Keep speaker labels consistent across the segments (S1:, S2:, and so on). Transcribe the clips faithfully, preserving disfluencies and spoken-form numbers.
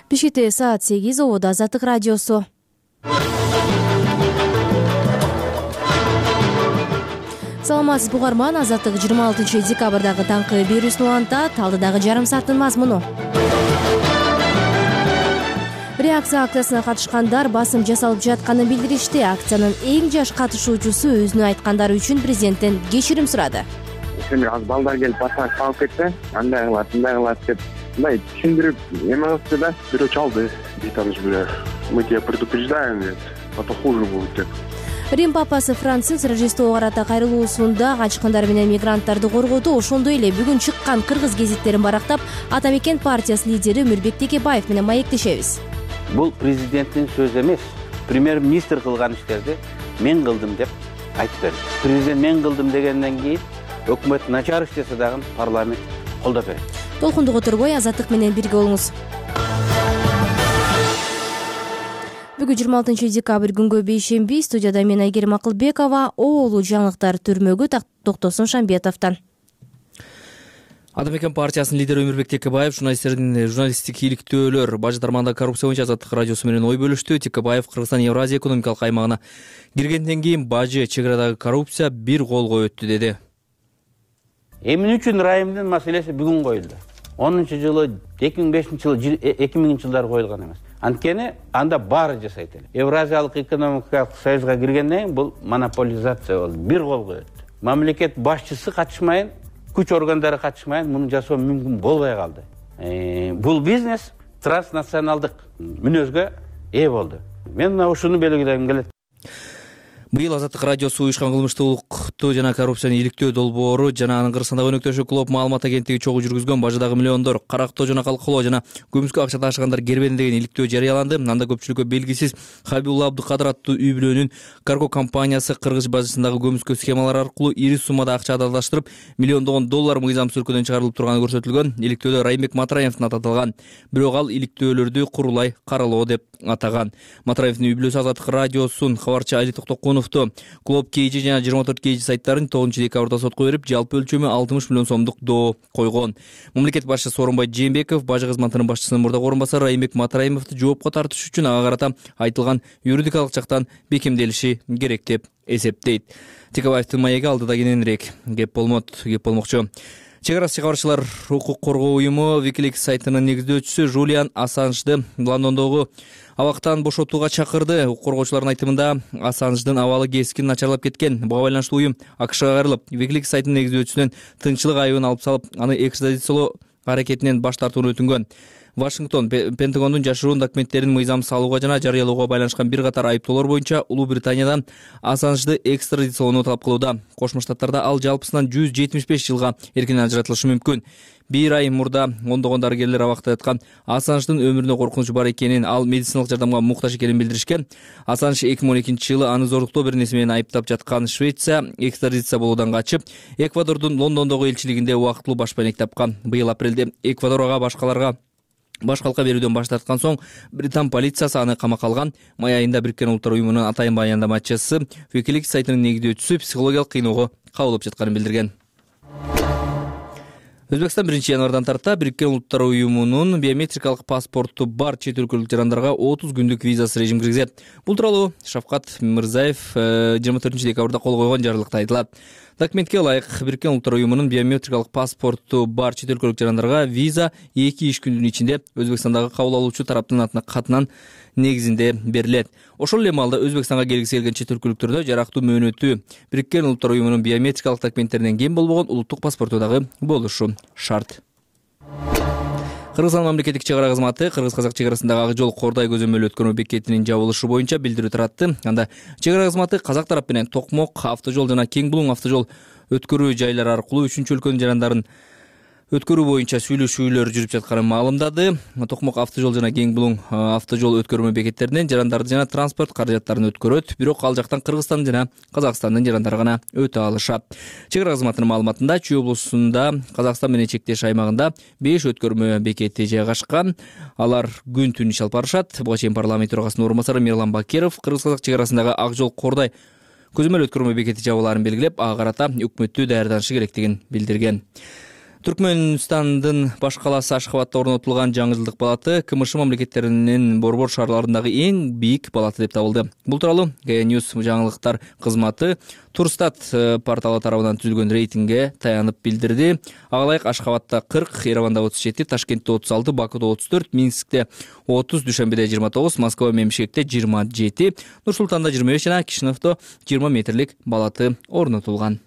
S1: Бишкекте саат сегиз, ободо Азаттык радиосу. Саламатсызбы угарман, Азаттык жыйырма алтынчы декабрдагы таңкы берүүсүн улантат. Алдыдагы жарым сааттын мазмуну. Реакция акциясына катышкандар басым жасалып жатканын билдиришти. Акциянын эң жаш катышуучусу өзүнүн айткандары үчүн президенттен кечирим сурады.
S2: Сен аз балдар келип басмак калып кетсе, андай кылат, мындай кылат деп мындай түшүндүрүп эме кылды да, бирөө чалды. Битамыз бирөө. Мы тебя предупреждаем, а то хуже будет деп.
S1: Рим папасы Франциск Рождествого карата кайрылуусунда качкындар менен мигранттарды коргоду. Ошондой эле бүгүн чыккан кыргыз гезиттерин барактап, Ата Мекен партиясы лидери Өмүрбек Текебаев менен маектешебиз.
S3: Бул президенттин сөзү эмес. Премьер-министр кылган иштерди мен кылдым деп айтып берди. Президент мен кылдым дегенден кийин өкмөт начар иш жасаса дагы парламент колдоп берет.
S1: Толкундук отурбой Азаттык менен бирге болуңуз. Бүгүн жыйырма алтынчы декабрь күнгө бейшемби. Студияда мен Айгерим Акылбекова. Оолу жаңылыктар түрмөгү Токтосун Шамбетовдон.
S4: Ата Мекен партиясынын лидери Өмүрбек Текебаев журналисттердин журналисттик иликтөөлөр бажы тармагында коррупция боюнча Азаттык радиосу менен ой бөлүштү. Текебаев Кыргызстан Евразия экономикалык аймагына киргенден кийин бажы чек арадагы коррупция бир колго өттү деди.
S3: Эмне үчүн райымдын маселеси бүгүн коюлду? онунчу жылы, эки миң бешинчи жылы, эки миңинчи жылдары коюлган эмес. Анткени анда баары жасайт эле. Евразиялык экономикалык союзга киргенден кийин бул монополизация болду, бир колго өттү. Мамлекет башчысы катышмайын, күч органдары катышмайын, муну жасоо мүмкүн болбой калды. Э, бул бизнес транснационалдык мүнөзгө ээ болду. Мен мына ушуну белгилегим келет.
S4: Быйыл Азаттык радиосу уюшкан кылмыштуулукту жана коррупцияны иликтөө долбоору жана анын Кыргызстандагы өнөктөшү Клоп маалымат агенттиги чогуу жүргүзгөн бажыдагы миллиондор карактоо жана калкалоо жана көмүскө акча ташыгандар кербеди деген иликтөө жарыяланды. Анда көпчүлүккө белгисиз Хабибулла Абдыкадыр аттуу үй бүлөнүн карго компаниясы кыргыз бажысындагы көмүскө схемалар аркылуу ири суммада акча адалдаштырып, миллиондогон доллар мыйзамсыз өлкөдөн чыгарылып турганы көрсөтүлгөн. Иликтөөдө Райымбек Матраевдин аты аталган. Бирок ал иликтөөлөрдү курулай каралоо деп атаган. Матраевдин үй бүлөсү Азаттык радиосунун кабарчы Али Токтокуновду Клоп Кейжи жана жыйырма төрт Кейжи сайттарын тогузунчу декабрда сотко берип, жалпы өлчөмү алтымыш миллион сомдук доо койгон. Мамлекет башчысы Сооронбай Жээнбеков бажы кызматынын башчысынын мурдагы орун басары Райымбек Матраевди жоопко тартыш үчүн ага карата айтылган юридикалык жактан бекемделиши керек деп эсептейт. Текебаевдин маеги алдыда кененирээк кеп болмот, кеп болмокчу. Чек ара чыгарчылар укук коргоо уюму Wikileaks сайтынын негиздөөчүсү Жулиан Ассанжды Лондондогу абактан бошотууга чакырды. Укук коргоочулардын айтымында Ассанждын абалы кескин начарлап кеткен. Буга байланыштуу уюм АКШга кайрылып, Wikileaks сайтынын негиздөөчүсүнөн тынччылык айыбын алып салып, аны экстрадициялоо аракетинен баш тартууну өтүнгөн. Вашингтон Пентагондун жашыруун документтерин мыйзамсыз алууга жана жарыялоого байланышкан бир катар айыптоолор боюнча Улуу Британиядан Ассанжды экстрадициялоону талап кылууда. Кошмо Штаттарда ал жалпысынан жүз жетимиш беш жылга эркинен ажыратылышы мүмкүн. Бир ай мурда ондогон дарыгерлер абакта яткан Ассанждын өмүрүнө коркунуч бар экенин, ал медициналык жардамга муктаж экенин билдиришкен. Ассанж эки миң он экинчи жылы аны зорлуктоо бир нерсе менен айыптап жаткан Швеция экстрадиция болуудан качып, Эквадордун Лондондогу элчилигинде убактылуу баш байнек тапкан. Быйыл апрелде Эквадор ага башкаларга баш калка берүүдөн баш тарткан соң Британ полициясы аны камакка алган. Май айында Бириккен Улуттар уюмунун атайын баяндамачысы Wikileaks сайтынын негиздөөчүсү психологиялык кыйноого кабылып жатканын билдирген. Өзбекстан биринчи январдан тарта Бириккен Улуттар уюмунун биометрикалык паспорту бар чет өлкөлүк жарандарга отуз күндүк визасыз режим киргизет. Бул тууралуу Шавкат Мирзаев жыйырма төртүнчү декабрда кол койгон жарлыкта айтылат. Документке ылайык Бириккен Улуттар уюмунун биометрикалык паспорту бар чет өлкөлүк жарандарга виза эки иш күндүн ичинде Өзбекстандагы кабыл алуучу тараптын атына катынан негизинде берилет. Ошол эле маалда Өзбекстанга келгиси келген чет өлкөлүктөрдө жарактуу мөөнөтү Бириккен Улуттар уюмунун биометрикалык документтеринен кем болбогон улуттук паспорту дагы болушу шарт. Кыргызстан мамлекеттик чек ара кызматы кыргыз-казак чек арасындагы ак жол Кордай көзөмөл өткөрмө бекетинин жабылышы боюнча билдирүү таратты. Анда чек ара кызматы казак тарап менен Токмок автожол жана Кең Булуң автожол өткөрүү жайлары аркылуу үчүнчү өлкөнүн жарандарын өткөрүү боюнча сүйлөшүүлөр жүрүп жатканын маалымдады. Токмок автожол жана Кең Булуң автожол өткөрмө бекеттеринен жарандарды жана транспорт каражаттарын өткөрөт, бирок ал жактан Кыргызстан жана Казакстандын жарандары гана өтө алышат. Чек ара кызматынын маалыматында Чүй облусунда Казакстан менен чектеш аймагында беш өткөрмө бекети жайгашкан. Алар күн-түн иш алып барышат. Буга чейин парламент төрагасынын орун басары Мирлан Бакиров кыргыз-казак чек арасындагы ак жол Кордай көзөмөл өткөрмө бекети жабылаарын белгилеп, ага карата өкмөттү даярданышы керектигин билдирген. Түркмөнстандын баш калаасы Ашхабадта орнотулган жаңы жылдык балаты КМШ мамлекеттеринин борбор шаарларындагы эң бийик балаты деп табылды. Бул тууралуу ГА Ньюс жаңылыктар кызматы Турстат порталы тарабынан түзүлгөн рейтингге таянып билдирди. Ага ылайык Ашхабадта кырк, Ереванда отуз жети, Ташкентте отуз алты, Бакууда отуз төрт, Минскте отуз, Дүйшөмбөдө жыйырма тогуз, Москва менен Бишкекте жыйырма жети, Нур-Султанда жыйырма беш жана Кишиневдо жыйырма метрлик балаты орнотулган.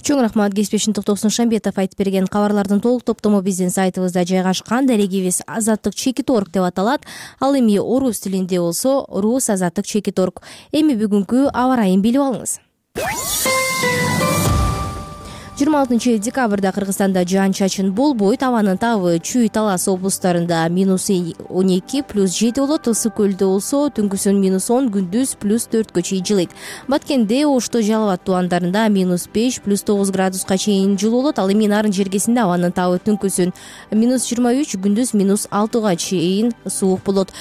S1: Чоң рахмат. Кесипбешин Токтогусун Шамбетов айтып берген кабарлардын толук топтому биздин сайтыбызда жайгашкан. Дарегибиз азаттык чекит точка орг деп аталат. Ал эми орус тилинде болсо рус азаттык чекит точка орг. Эми бүгүнкү аба ырайын билип алыңыз. жыйырма алтынчы декабрда Кыргызстанда жаан-чачын болбойт. Абанын табы Чүй, Талас облустарында минус он эки, плюс жети болот. Ысык көлдө болсо түнкүсүн минус он, күндүз плюс төрткө чейин жылыйт. Баткенде, Ошто, Жалал абад тубандарында минус беш, плюс тогуз градуска чейин жылуу болот. Ал эми Нарын жергесинде абанын табы түнкүсүн минус жыйырма үч, күндүз минус алтыга чейин суук болот.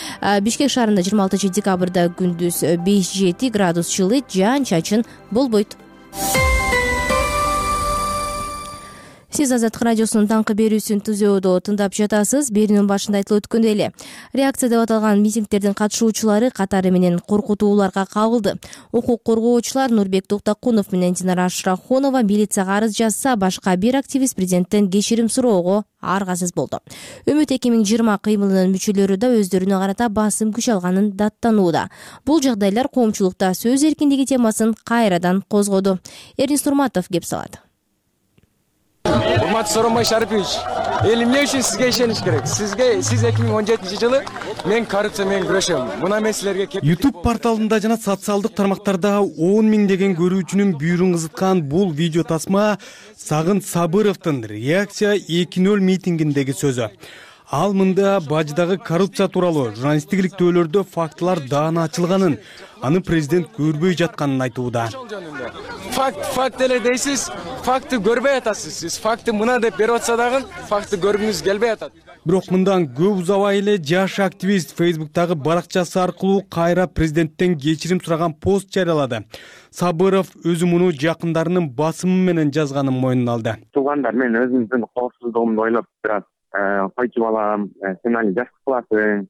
S1: Бишкек шаарында жыйырма алтынчы декабрда күндүз беш жети градус жылыйт, жаан-чачын болбойт. Сиз Азаттык радиосунун таңкы берүүсүн түзөөдө тыңдап жатасыз. Берүүнүн башында айтылып өткөндөй эле, реакция деп аталган митингдердин катышуучулары катары менен коркутууларга кабылды. Укук коргоочулар Нурбек Токтакунов менен Динара Ашрахунова милицияга арыз жазса, башка бир активист президенттен кечирим суроого аргасыз болду. Үмүт эки миң жыйырма кыймылынын мүчөлөрү да өздөрүнө карата басым күч алганын даттанууда. Бул жагдайлар коомчулукта сөз эркиндиги темасын кайрадан козгоду. Эрнис Нурматов кеп салат.
S5: Урматтуу Сооронбай Шарипович, эл эмне үчүн сизге ишениш керек? Сизге сиз эки миң он жетинчи жылы мен коррупция менен күрөшөм. Мына маселелерге кеп
S6: YouTube порталында жана социалдык тармактарда он миңдеген көрүүчүнүн бүйүрүн кызыткан бул видео тасма Сагын Сабыровдун реакция эки ноль митингиндеги сөзү. Ал мында баждагы коррупция тууралуу журналисттик иликтөөлөрдө фактылар даана ачылганын, аны президент көрбөй жатканын айтууда.
S5: Факт, факт эле дейсиз, факты көрбөй атасыз. Сиз факты мына деп берип атса дагы, факты көргүңүз келбей атат.
S6: Бирок мындан көп узабай эле жаш активист Facebook'тагы баракчасы аркылуу кайра президенттен кечирим сураган пост жарыялады. Сабыров өзү муну жакындарынын басымы менен жазганын мойнуна алды.
S2: Туугандар, мен өзүмдүн коопсуздугумду ойлоп турат. Койчу балам, сен аны жаш кыласың.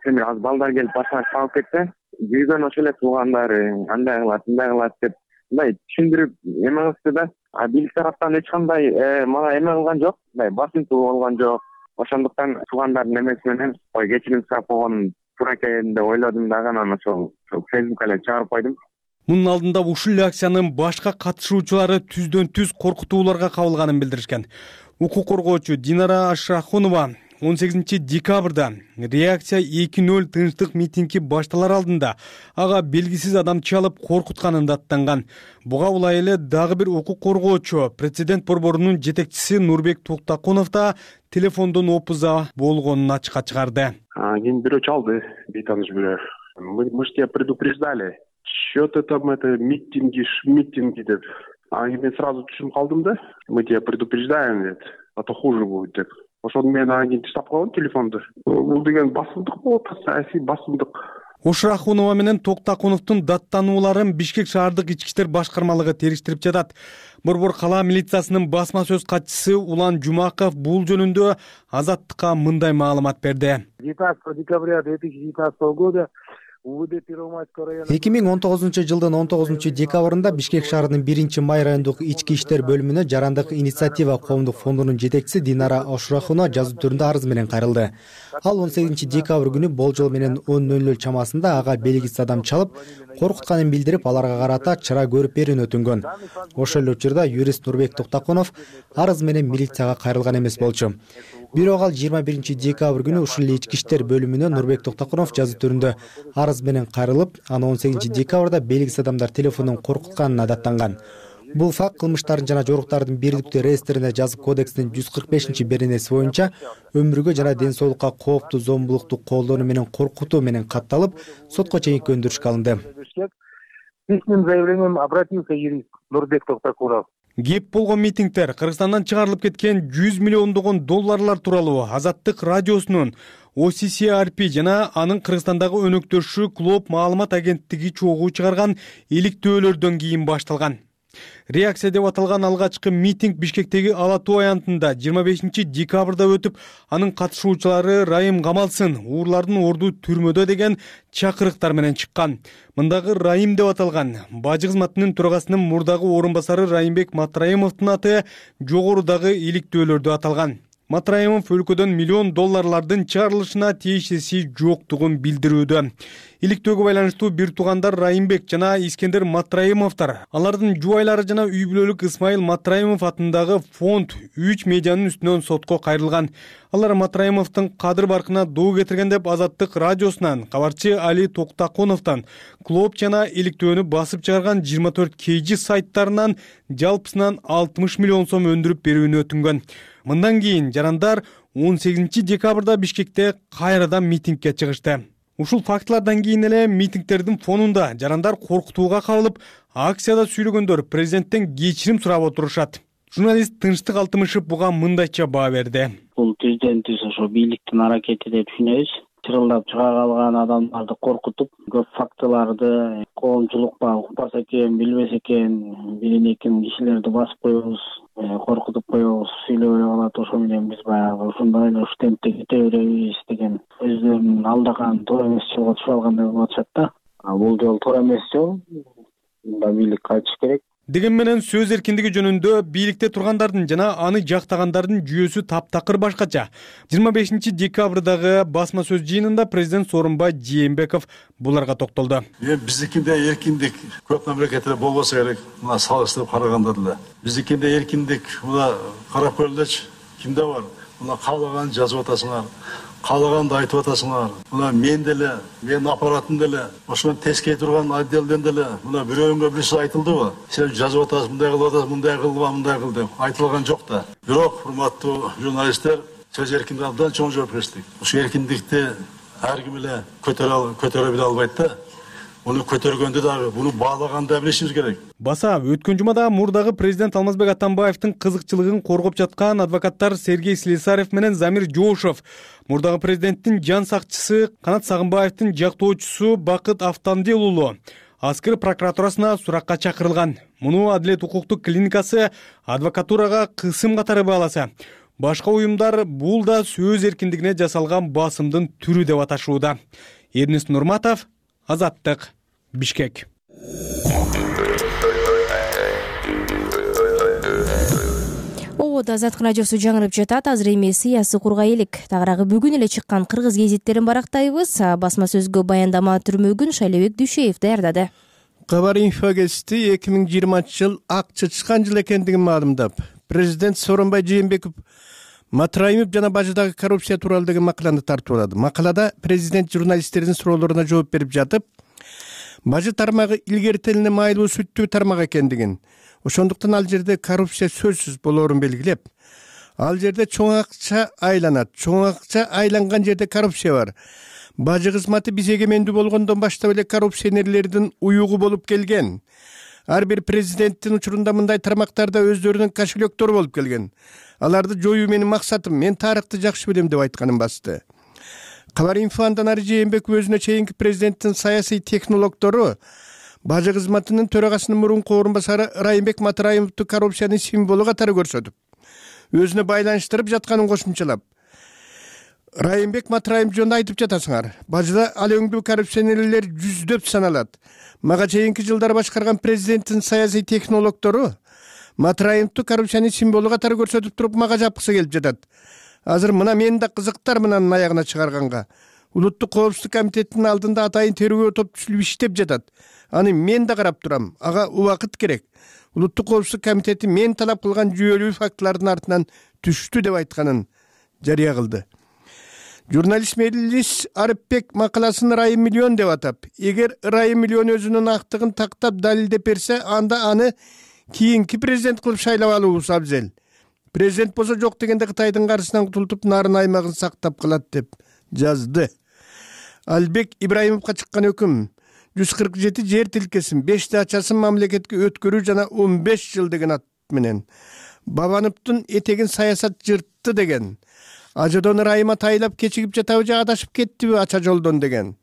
S2: Сен аз балдар келип башыңа салып кетсе, жүргөн ошол эле туугандар андай кылат, мындай кылат деп мындай түшүндүрүп эме кылышты да. А бийлик тараптан эч кандай мага эме кылган жок, мындай басымтуу болгон жок. Ошондуктан туугандардын эмеси менен ой кечирим сурап койгонум туура экен деп ойлодум дагы, анан ошол Facebook'ка эле чыгарып койдум.
S6: Мунун алдында ушул акциянын башка катышуучулары түздөн түз коркутууларга кабылганын билдиришкен. Укук коргоочу Динара Ашрахунова он сегизинчи декабрда реакция эки ноль тынчтык митинги башталар алдында ага белгисиз адам чалып коркутканын даттанган. Буга улай эле дагы бир укук коргоочу президент борборунун жетекчиси Нурбек Токтакунов да телефондон опуза болгонун ачыкка чыгарды.
S2: Кийин бирөө чалды, бейтаныш бирөө. Мы мы ж тебя предупреждали. Что-то там это митинги, митинги деп. А мен сразу түшүнүп калдым да. Мы тебя предупреждаем деп. А то хуже будет деп. Ошондо мен анан таштап койгом телефонду. Бул деген басымдык болот, саясий басымдык.
S6: Ошрахунова менен Токтакуновдун даттанууларын Бишкек шаардык ички иштер башкармалыгы териштирип жатат. Борбор кала милициясынын басма сөз катчысы Улан Жумаков бул жөнүндө Азаттыкка мындай маалымат берди.
S7: девятнадцатого декабря две тысячи девятнадцатого года
S8: эки миң он тогузунчу жылдын он тогузунчу декабрында Бишкек шаарынын биринчи май райондук ички иштер бөлүмүнө Жарандык инициатива коомдук фондунун жетекчиси Динара Ашрахунова жазуу түрүндө арыз менен кайрылды. Ал он сегизинчи декабрь күнү болжол менен он ноль ноль чамасында ага белгисиз адам чалып, коркутканын билдирип, аларга карата чара көрүп берүүнү өтүнгөн. Ошол эле учурда юрист Нурбек Токтакунов арыз менен милицияга кайрылган эмес болчу. Бирок ал жыйырма биринчи декабрь күнү ушул эле ички иштер бөлүмүнө Нурбек Токтакунов жазуу түрүндө арыз менен кайрылып, аны он сегизинчи декабрда белгисиз адамдар телефондон коркутканына даттанган. Бул факт кылмыштардын жана жоруктардын бирдиктүү реестрине жазып кодекстин жүз кырк бешинчи беренеси боюнча өмүргө жана ден соолукка кооптуу зомбулукту колдонуу менен коркутуу менен катталып, сотко чейинки өндүрүшкө алынды.
S7: Письменным заявлением обратился юрист Нурбек Токтакунов.
S6: Кеп болгон митингдер Кыргызстандан чыгарылып кеткен жүз миллиондогон долларлар тууралуу Азаттык радиосунун о си си ар пи жана анын Кыргызстандагы өнөктөшү Клоп маалымат агенттиги чогуу чыгарган иликтөөлөрдөн кийин башталган. Реакция деп аталган алгачкы митинг Бишкектеги Ала Тоо аянтында жыйырма бешинчи декабрда өтүп, анын катышуучулары Райым камалсын, уурлардын орду түрмөдө деген чакырыктар менен чыккан. Мындагы Райым деп аталган бажы кызматынын төрагасынын мурдагы орун басары Райымбек Матраимовдун аты жогорудагы иликтөөлөрдө аталган. Матраимов өлкөдөн миллион долларлардын чыгарылышына тиешеси жоктугун билдирүүдө. Иликтөөгө байланыштуу бир туугандар Райымбек жана Искендер Матраимовдор, алардын жубайлары жана үй бүлөлүк Исмайыл Матраимов атындагы фонд үч медианын үстүнөн сотко кайрылган. Алар Матраимовдун кадыр баркына доо кетирген деп Азаттык радиосунан кабарчы Али Токтаконовдон клоп жана иликтөөнү басып чыгарган жыйырма төрт кей жи сайттарынан жалпысынан алтымыш миллион сом өндүрүп берүүнү өтүнгөн. Мындан кийин жарандар он сегизинчи декабрда Бишкекте кайрадан митингге чыгышты. Ушул фактылардан кийин эле митингтердин фонунда жарандар коркутууга кабылып, акцияда сүйлөгөндөр президенттен кечирим сурап отурушат. Журналист Тынчтык Алтымышев буга мындайча баа берди.
S9: Бул президентибиз ошо бийликтин аракети деп түшүнөбүз. Чырылдап чыга калган адамдарды коркутуп, көп фактыларды коомчулукка укпас экен, билбес экен, бирин экин кишилерди басып коебуз, коркутуп коебуз, сүйлөп алат. Ошо менен биз баягы ушундай эле уш темпте кете беребиз деген өздөрүнүн алдаган туура эмес жолго түшүп алгандай болуп атышат да. Бул жол туура эмес жол. Мында бийлик кайтыш керек.
S6: Деген менен сөз эркиндиги жөнүндө бийликте тургандардын жана аны жактагандардын жүйөсү таптакыр башкача. жыйырма бешинчи декабрдагы басма сөз жыйынында президент Сооронбай Жээнбеков буларга токтолду.
S10: Биздикинде эркиндик көп мамлекетте болбосо керек. Мына салыштырып караганда деле. Биздикинде эркиндик мына карап көргүлөчү. Кимде бар? Мына каалаган жазып атасыңар. Каалаганды айтып атасыңар. Мына мен деле, мен аппаратым деле, ошондон тескей турган отделден деле мына бирөөгө бирси айтылдыбы? Сен жазып атасың, мындай кылып атасың, мындай кылба, мындай кыл деп айтылган жок да. Бирок, урматтуу журналисттер, сөз эркиндиги абдан чоң жоопкерчилик. Ошо эркиндикти ар ким эле көтөрө көтөрө биле албайт да. Уну көтөргөндө дагы, буну баалаганда билишибиз керек.
S6: Баса, өткөн жумада мурдагы президент Алмазбек Атамбаевдин кызыкчылыгын коргоп жаткан адвокаттар Сергей Слесарев менен Замир Жоошев, мурдагы президенттин жан сакчысы Канат Сагынбаевдин жактоочусу Бакыт Автандел уулу Аскер прокуратурасына суракка чакырылган. Муну Адилет укуктук клиникасы адвокатурага кысым катары бааласа, башка уюмдар бул да сөз эркиндигине жасалган басымдын түрү деп аташууда. Эрнис Нурматов, Азаттык, Бишкек.
S1: Обод Азаттык радиосу жаңырып жатат. Азыр эми сыясый кургай элек. Тагыраагы бүгүн эле чыккан кыргыз гезиттерин барактайбыз. Басма сөзгө баяндама түрмөгүн Шайлебек Дүйшеев даярдады.
S11: Кабар инфо гезити эки миң жыйырманчы жыл ак чычкан жыл экендигин маалымдап, президент Сооронбай Жээнбеков Матраимов жана бажыдагы коррупция тууралуу деген макаланы тартуулады. Макалада президент журналисттердин суроолоруна жооп берип жатып, бажы тармагы илгертелине майлуу сүттүү тармак экендигин, ошондуктан ал жерде коррупция сөзсүз болоорун белгилеп, ал жерде чоң акча айланат. Чоң акча айланган жерде коррупция бар. Бажы кызматы биз эгемендүү болгондон баштап эле коррупционерлердин уюгу болуп келген. Ар бир президенттин учурунда мындай тармактарда өздөрүнүн кошелектөрү болуп келген. Аларды жоюу менин максатым, мен тарыхты жакшы билем деп айтканын басты. Кабар инфо андан ары Жээнбеков өзүнө чейинки президенттин саясий технологдору бажы кызматынын төрагасынын мурунку орун басары Райымбек Матраимовду коррупциянын символу катары көрсөтүп, өзүнө байланыштырып жатканын кошумчалап, Райымбек Матраимов жөнүндө айтып жатасыңар. Бажыда ал өңдүү коррупционерлер жүздөп саналат. Мага чейинки жылдары башкарган президенттин саясий технологдору Матраимовду коррупциянын символу катары көрсөтүп туруп мага жапкысы келип жатат. Азыр мына мен да кызыктар мынанын аягына чыгарганга. Улуттук коопсуздук комитетинин алдында атайын тергөө топ түзүлүп иштеп жатат. Аны мен да карап турам. Ага убакыт керек. Улуттук коопсуздук комитети мен талап кылган жүйөлүү фактылардын артынан түштү деп айтканын жарыя кылды. Журналист Мелис Арыпбек макаласын Райым миллион деп атап, эгер Райым миллион өзүнүн актыгын тактап далилдеп берсе, анда аны кийинки президент кылып шайлап алуубуз абзел. Президент болсо жок дегенде Кытайдын каршысынан кутултуп, нарын аймагын сактап калат деп жазды. Албек Ибраимовго чыккан өкүм жүз кырк жети жер тилкесин, беш дачасын мамлекетке өткөрүү жана он беш жыл деген ат менен. Бабановдун этегин саясат жыртты деген. Ажодон Райыма тайлап кечигип жатабы же адашып кеттиби ача жолдон деген.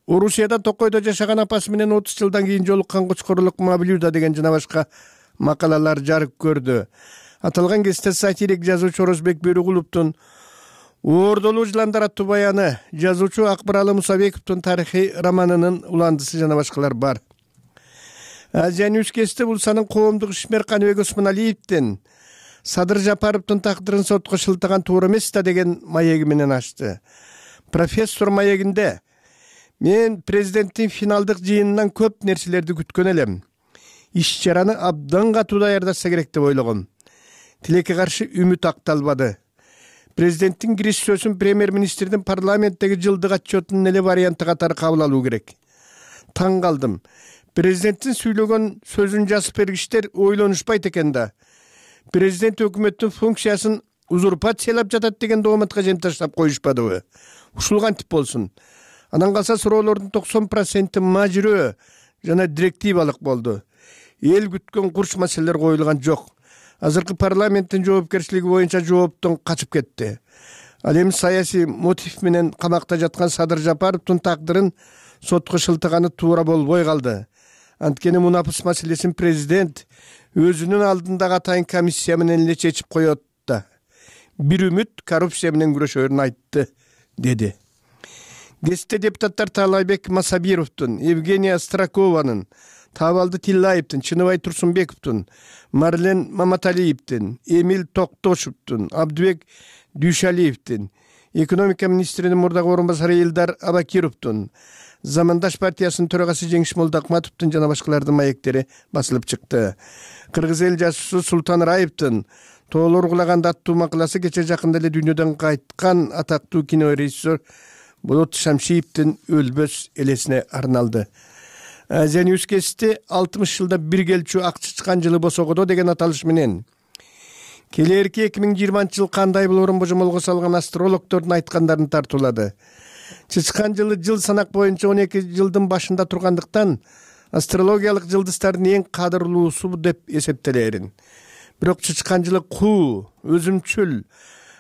S11: Орусияда Токойдо жашаган апасы менен отуз жылдан кийин жолуккан Кочкорлук Мавлюда деген жана башка макалалар жарык көрдү. Аталган кесте сатирик жазуучу Орозбек Бөрүгуловдун Оордолуу жыландар аттуу баяны, жазуучу Акбаралы Мусабековдун тарыхый романынын уландысы жана башкалар бар. Азия Ньюс кесте бул санын коомдук ишмер Каныбек Осмоналиевдин Садыр Жапаровдун тагдырын сотко шылтаган туура эмес да деген маеги менен ачты. Профессор маегинде мен президенттин финалдык жыйынынан көп нерселерди күткөн элем. Иш-чараны абдан катуу даярдаса керек деп ойлогом. Тилекке каршы үмүт акталбады. Президенттин кириш сөзүн премьер-министрдин парламенттеги жылдык отчетунун эле варианты катары кабыл алуу керек. Таң калдым. Президенттин сүйлөгөн сөзүн жазып бергичтер ойлонушпайт экен да. Президент өкмөттүн функциясын узурпациялап жатат деген дооматка жем таштап коюшпадыбы? Ушул кантип болсун? Анан калса суроолордун токсон проценти мажүрөө жана директивалык болду. Эл күткөн курч маселелер коюлган жок. Азыркы парламенттин жоопкерчилиги боюнча жооптон качып кетти. Ал эми саясий мотив менен камакта жаткан Садыр Жапаровдун тагдырын сотко шылтаганы туура болбой калды. Анткени мунапыс маселесин президент өзүнүн алдындагы атайын комиссия менен эле чечип коет да. Бир үмүт коррупция менен күрөшөрүн айтты, деди. Кесте депутаттар Таалайбек Масабировдун, Евгения Стракованын, Табалды Тиллаевдин, Чыныбай Турсунбековдун, Марлен Маматалиевдин, Эмил Токтошевдун, Абдыбек Дүйшалиевдин, экономика министринин мурдагы орун басары Элдар Абакировдун, Замандаш партиясынын төрагасы Жеңиш Молдоакматовдун жана башкалардын маектери басылып чыкты. Кыргыз эл жазуучусу Султан Раевдин тоолор кулаган аттуу макаласы кече жакында эле дүйнөдөн кайткан атактуу кинорежиссер Болот Шамшиевдин өлбөс элесине арналды. Азия Ньюс кести алтымыш жылда бир келчү ак чычкан жылы босогодо деген аталыш менен келээрки эки миң жыйырманчы жыл кандай болорун божомолго салган астрологдордун айткандарын тартуулады. Чычкан жылы жыл санак боюнча он эки жылдын башында тургандыктан астрологиялык жылдыздардын эң кадырлуусу деп эсептелерин. Бирок чычкан жылы куу, өзүмчүл,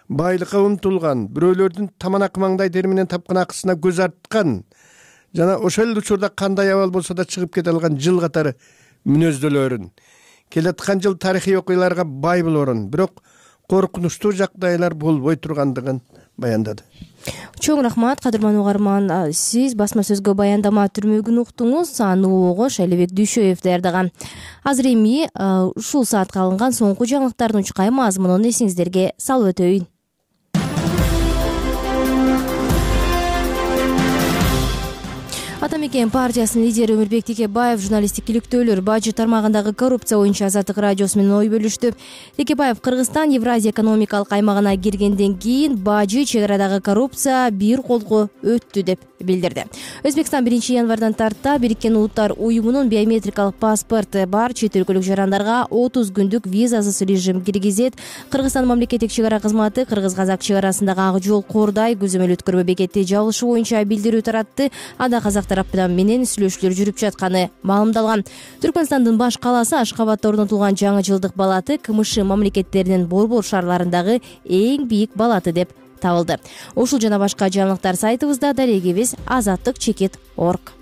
S11: байлыкка умтулган, бирөөлөрдүн таманак маңдай терминен тапкан акысына көз арткан жана ошол учурда кандай абал болсо да чыгып кете алган жыл катары мүнөздөлөрүн, келаткан жыл тарыхый окуяларга бай болорун, бирок коркунучтуу жагдайлар болбой тургандыгын баяндады.
S1: Чоң рахмат, кадырман угарман. Сиз басма сөзгө баяндама түрмөгүн уктуңуз. Аны огош Алибек Дүйшөев даярдаган. Азыр эми ушул саатка алынган соңку жаңылыктардын чукай мазмунун эсиңиздерге салып өтөйүн. Атамекен партиясынын лидери Өмүрбек Текебаев журналисттик иликтөөлөр бажы тармагындагы коррупция боюнча Азаттык радиосу менен ой бөлүштү. Текебаев Кыргызстан Евразия экономикалык аймагына киргенден кийин бажы чек арадагы коррупция бир колго өттү деп билдирди. Өзбекстан биринчи январдан тарта Бириккен Улуттар уюмунун биометрикалык паспорты бар чет өлкөлүк жарандарга отуз күндүк визасыз режим киргизет. Кыргызстан мамлекеттик чек ара кызматы Кыргыз-казак чек арасындагы ак жол Кордай көзөмөл өткөрмө бекети жабылышы боюнча билдирүү таратты. Анда казак тараптан менен сүйлөшүүлөр жүрүп жатканы маалымдалган. Түркмөнстандын баш калаасы Ашкабадда орнотулган жаңы жылдык балаты КМШ мамлекеттеринин борбор шаарларындагы эң бийик балаты деп табылды. Ушул жана башка жаңылыктар сайтыбызда, дарегибиз азаттык чекит точка орг.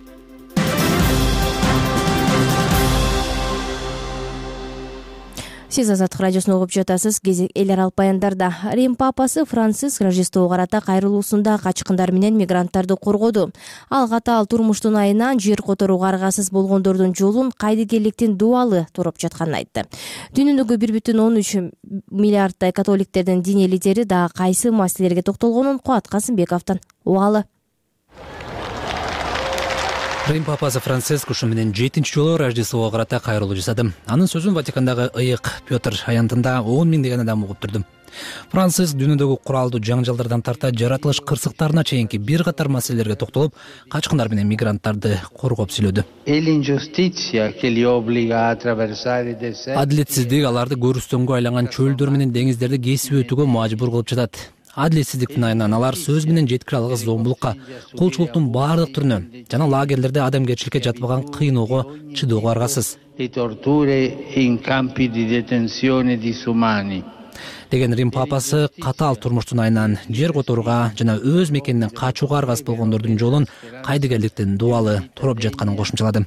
S1: Сиз Азаттык радиосун угуп жатасыз. Кезек эл аралык баяндарда. Рим папасы Франциск Рождествого карата кайрылуусунда качкындар менен мигранттарды коргоду. Ал катаал турмуштун айынан жер которууга аргасыз болгондордун жолун кайдыгерликтин дуалы туруп жатканын айтты. Дүйнөдөгү бир бүтүн он үч миллиарддай католиктердин диний лидери дагы кайсы маселелерге токтолгонун Кубат Касымбековдон угалы.
S12: Рим папасы Франциск ушу менен жетинчи жолу Рождествого карата кайрылуу жасады. Анын сөзүн Ватикандагы ыйык Петр аянтында он миңдеген адам угуп турду. Франциск дүйнөдөгү куралдуу жаңжалдардан тарта жаратылыш кырсыктарына чейинки бир катар маселелерге токтолуп, качкындар менен мигранттарды коргоп сүйлөдү. Адилетсиздик аларды көрүстөнгө айланган чөлдөр менен деңиздерди кесип өтүүгө мажбур кылып жатат. Адилетсиздиктин айынан алар сөз менен жеткире алгыс зомбулукка, кулчулуктун баардык түрүнө жана лагерлерде адамгерчиликке жатпаган кыйноого чыдоого аргасыз. деген Рим папасы катаал турмуштун айынан жер которууга жана өз мекенинен качууга аргасыз болгондордун жолун кайдыгерликтин дубалы туруп жатканын кошумчалады.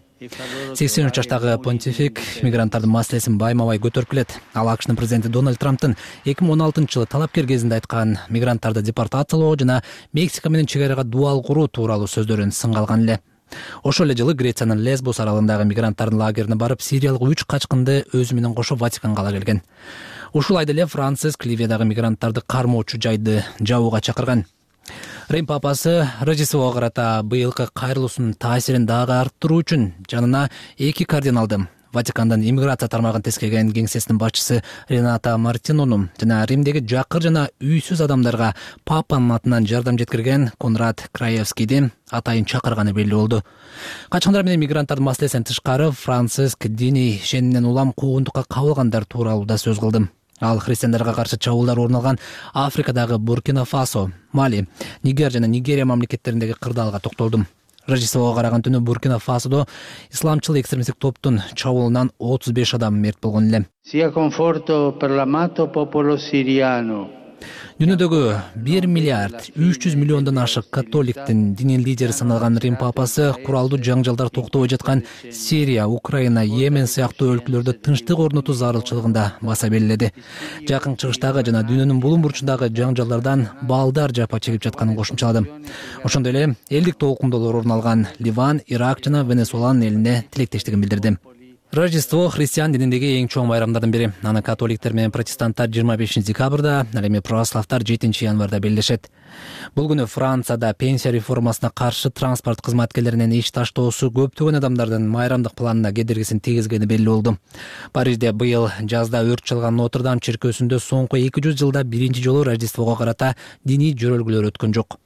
S12: сексен үч жаштагы понтифик мигранттардын маселесин байма-бай көтөрүп келет. Ал АКШнын президенти Дональд Трамптын эки миң он алтынчы жылы талапкер кезинде айткан мигранттарды депортациялоо жана Мексика менен чек арага дубал куруу тууралуу сөздөрүн сынга алган эле. Ошол эле жылы Грециянын Лесбос аралындагы мигранттардын лагерине барып, сириялык үч качкынды өзү менен кошо Ватиканга ала келген. Ушул айда эле Франциск Ливиядагы мигранттарды кармоочу жайды жабууга чакырган. Рим папасы Рождествого карата быйылкы кайрылуусунун таасирин дагы арттыруу үчүн жанына эки кардиналды, Ватикандын иммиграция тармагын тескеген кеңсесинин башчысы Рената Мартинону жана Римдеги жакыр жана үйсүз адамдарга папанын атынан жардам жеткирген Конрад Краевскийди атайын чакырганы белгилүү болду. Качкындар менен мигранттардын маселесинен тышкары Франциск диний ишениминен улам куугунтукка кабылгандар тууралуу да сөз кылды. Ал христиандарга каршы чабуулдар орун алган Африкадагы Буркина Фасо, Мали, Нигер жана Нигерия мамлекеттериндеги кырдаалга токтолду. Рождествого караган түнү Буркина Фасодо исламчыл экстремисттик топтун чабуулунан отуз беш адам мерт болгон эле. Дүйнөдөгү бир миллиард үч жүз миллиондон ашык католиктин дини лидери саналган Рим папасы куралдуу жаңжалдар токтобой жаткан Сирия, Украина, Йемен сыяктуу өлкөлөрдө тынчтык орнотуу зарылчылыгында баса белгиледи. Жакын чыгыштагы жана дүйнөнүн булуң бурчундагы жаңжалдардан балдар жапа чегип жатканын кошумчалады. Ошондой эле элдик толкундоолор орун алган Ливан, Ирак жана Венесуэланын элине тилектештигин билдирди. Рождество христиан дининдеги эң чоң байрамдардын бири. Аны католиктер менен протестанттар жыйырма бешинчи декабрда, ал эми православтар жетинчи январда белгилешет. Бул күнү Францияда пенсия реформасына каршы транспорт кызматкерлеринин иш таштоосу көптөгөн адамдардын майрамдык планына кедергисин тийгизгени белгилүү болду. Парижде быйыл жазда өрт чалган Нотр-Дам чиркөөсүндө соңку эки жүз жылда биринчи жолу Рождествого карата диний жөрөлгүлөр өткөн жок.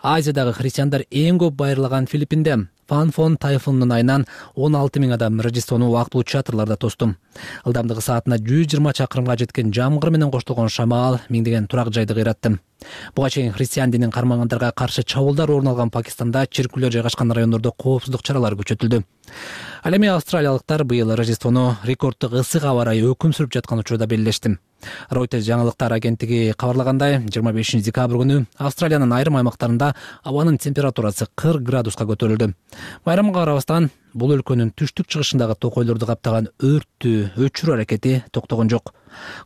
S12: Азиядагы христиандар эң көп байырлаган Филиппинде Фанфон тайфунунун айынан он алты миң адам Рождествону убактылуу чатырларда тосту. Ылдамдыгы саатына жүз жыйырма чакырымга жеткен жамгыр менен коштолгон шамал миңдеген турак жайды кыйратты. Буга чейин христиан динин кармагандарга каршы чабуулдар орун алган Пакистанда чиркүүлөр жайгашкан райондордо коопсуздук чаралары күчөтүлдү. Ал эми австралиялыктар быйыл Рождествону рекорддук ысык аба ырайы өкүм сүрүп жаткан учурда белгилешти. Reuters жаңылыктар агенттиги кабарлагандай, жыйырма бешинчи декабрь күнү Австралиянын айрым аймактарында абанын температурасы кырк градуска көтөрүлдү. Байрамга карабастан, бул өлкөнүн түштүк чыгышындагы токойлорду каптаган өрттү өчүрүү аракети токтогон жок.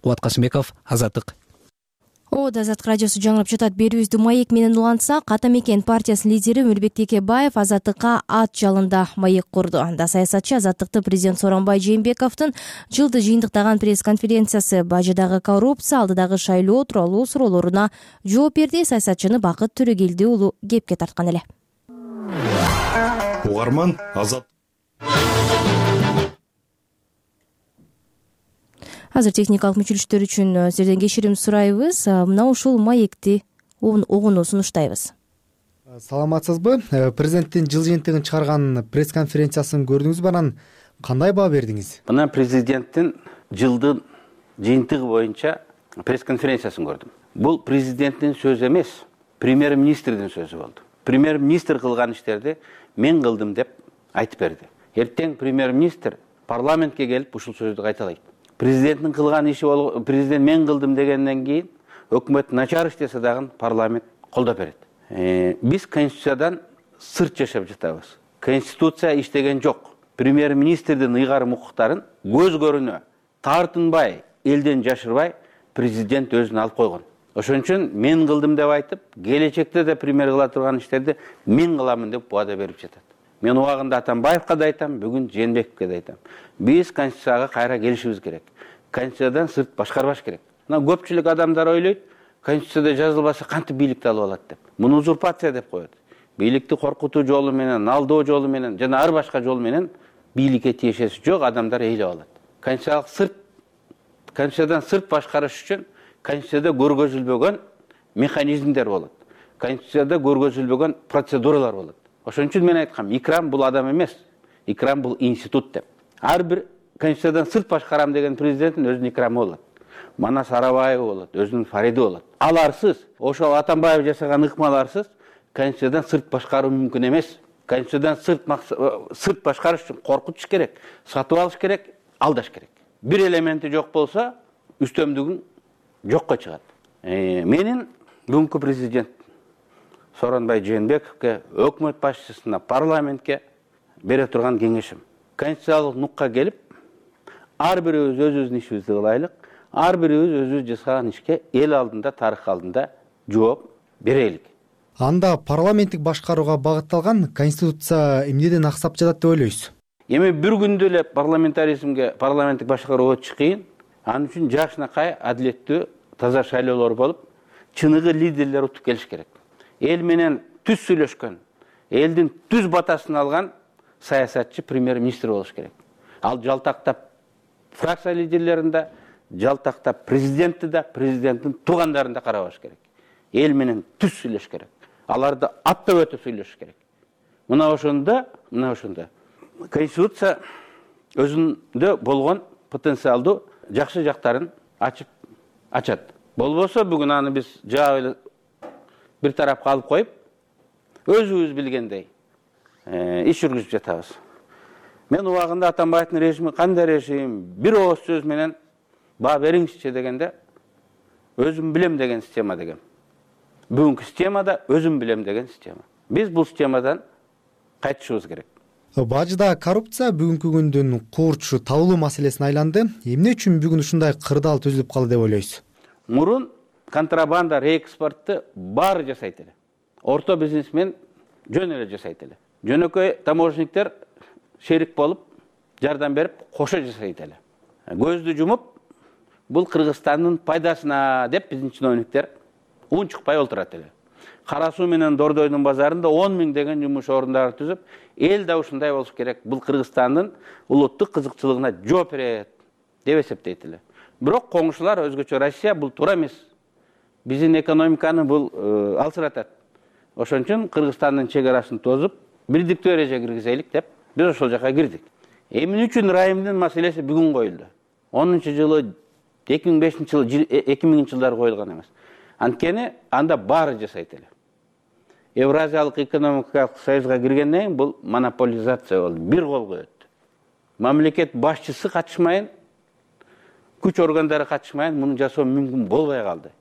S12: Кубат Касымбеков, Азаттык.
S1: Ода Азаттык радиосу жаңырып жатат. Берүүбүздү маек менен улантсак, Атамекен партиясынын лидери Мирбек Текебаев Азаттыкка ат жалында маек курду. Анда саясатчы Азаттыкты президент Сооронбай Жээнбековдун жылды жыйынтыктаган пресс-конференциясы, бажыдагы коррупция, алдыдагы шайлоо тууралуу суроолоруна жооп берди. Саясатчыны Бакыт Төрөгелди уулу кепке тарткан эле.
S13: Угарман Азат.
S1: Азыр техникалык мүчүлүштөр үчүн сиздерден кечирим сурайбыз. Мына ушул маекти угууну сунуштайбыз.
S8: Саламатсызбы? Президенттин жыл жыйынтыгын чыгарган пресс-конференциясын көрдүңүзбү? Анан кандай баа бердиңиз?
S3: Мына президенттин жылдын жыйынтыгы боюнча пресс-конференциясын көрдүм. Бул президенттин сөзү эмес, премьер-министрдин сөзү болду. Премьер-министр кылган иштерди мен кылдым деп айтып берди. Эртең премьер-министр парламентке келип ушул сөздү кайталайт. Президенттин кылган иши бол, президент мен кылдым дегенден кийин өкмөт начар иштесе дагы парламент колдоп берет. Э, биз конституциядан сырт жашап жатабыз. Конституция иштеген жок. Премьер-министрдин ыйгарым укуктарын көз көрүнө тартынбай, элден жашырбай президент өзүнө алып койгон. Ошон үчүн мен кылдым деп айтып, келечекте да премьер кыла турган иштерди мен кыламын деп убада берип жатат. Мен убагында Атамбаевка да айтам, бүгүн Жээнбековке да айтам. Биз конституцияга кайра келишибиз керек. Конституциядан сырт башкарбаш керек. Мына көпчүлүк адамдар ойлойт, конституцияда жазылбаса кантип бийликти алып алат деп. Муну узурпация деп коет. Бийликти коркутуу жолу менен, алдоо жолу менен жана ар башка жол менен бийликке тиешеси жок, адамдар ээлеп алат. Конституциялык сырт конституциядан сырт башкарыш үчүн конституцияда көргөзүлбөгөн механизмдер болот. Конституцияда көргөзүлбөгөн процедуралар болот. Ошон үчүн мен айткам, икрам бул адам эмес, икрам бул институт деп. Ар бир конституциядан сырт башкарам деген президенттин өзүнүн икрамы болот. Манас Арабаева болот, өзүнүн Фариди болот. Аларсыз, ошол Атамбаев жасаган ыкмаларсыз конституциядан сырт башкаруу мүмкүн эмес. Конституциядан сырт сырт башкарыш үчүн коркутуш керек, сатып алыш керек, алдаш керек. Бир элементи жок болсо, үстөмдүгүн жокко чыгат. Менин бүгүнкү президент Сооронбай Жээнбековке, өкмөт башчысына, парламентке бере турган кеңешим: конституциялык нукка келип, ар бирибиз өзүбүздүн ишибизди кылайлык, ар бирибиз өзүбүз жасаган ишке эл алдында, тарых алдында жооп берелик.
S8: Анда парламенттик башкарууга багытталган конституция эмнеден аксап жатат деп ойлойсуз?
S3: Эми бир күндө эле парламентаризмге, парламенттик башкарууга өтүш кыйын. Анын үчүн жакшынакай, адилеттүү, таза шайлоолор болуп, чыныгы лидерлер утуп келиш керек. Эл менен түз сүйлөшкөн, элдин түз батасын алган саясатчы премьер-министр болуш керек. Ал жалтактап фракция лидерлерин да, жалтактап президентти да, президенттин туугандарын да карабаш керек. Эл менен түз сүйлөш керек. Аларды аттап өтүп сүйлөш керек. Мына ошондо, мына ошондо конституция өзүндө болгон потенциалдуу жакшы жактарын ачып ачат. Болбосо бүгүн аны биз жаап эле бир тарапка алып коюп, өзүбүз билгендей иш жүргүзүп жатабыз. Мен убагында Атамбаевдин режими кандай режим, бир ооз сөз менен баа бериңизчи дегенде, өзүм билем деген система деген. Бүгүнкү системада өзүм билем деген система. Биз бул системадан кайтышыбыз керек.
S8: Бажыда коррупция бүгүнкү күндүн курч табылуу маселесине айланды. Эмне үчүн бүгүн ушундай кырдаал түзүлүп калды деп ойлойсуз?
S3: Мурун контрабанда, реэкспортту баары жасайт эле. Орто бизнесмен жөн эле жасайт эле. Жөнөкөй таможниктер шерик болуп, жардам берип, кошо жасайт эле. Көздү жумуп, бул Кыргызстандын пайдасына деп биздин чиновниктер унчукпай отурат эле. Кара суу менен Дордойдун базарында он миң деген жумуш орундары түзүп, эл да ушундай болуш керек. Бул Кыргызстандын улуттук кызыкчылыгына жооп берет деп эсептейт эле. Бирок коңшулар өзгөчө Россия бул туура эмес. Биздин экономиканы бул алсыратат. Ошон үчүн Кыргызстандын чек арасын тозуп, бирдиктүү эрежеге киргизелик деп биз ошол жака кирдик. Эмне үчүн райымдын маселеси бүгүн коюлду? онунчу жылы, эки миң бешинчи жылы, эки миңинчи жылдары коюлган эмес. Анткени анда баары жасайт эле. Евразиялык экономикалык союзга киргенден кийин бул монополизация болду, бир колго өттү. Мамлекет башчысы катышмайын, күч органдары катышмайын, муну жасоо мүмкүн болбой калды.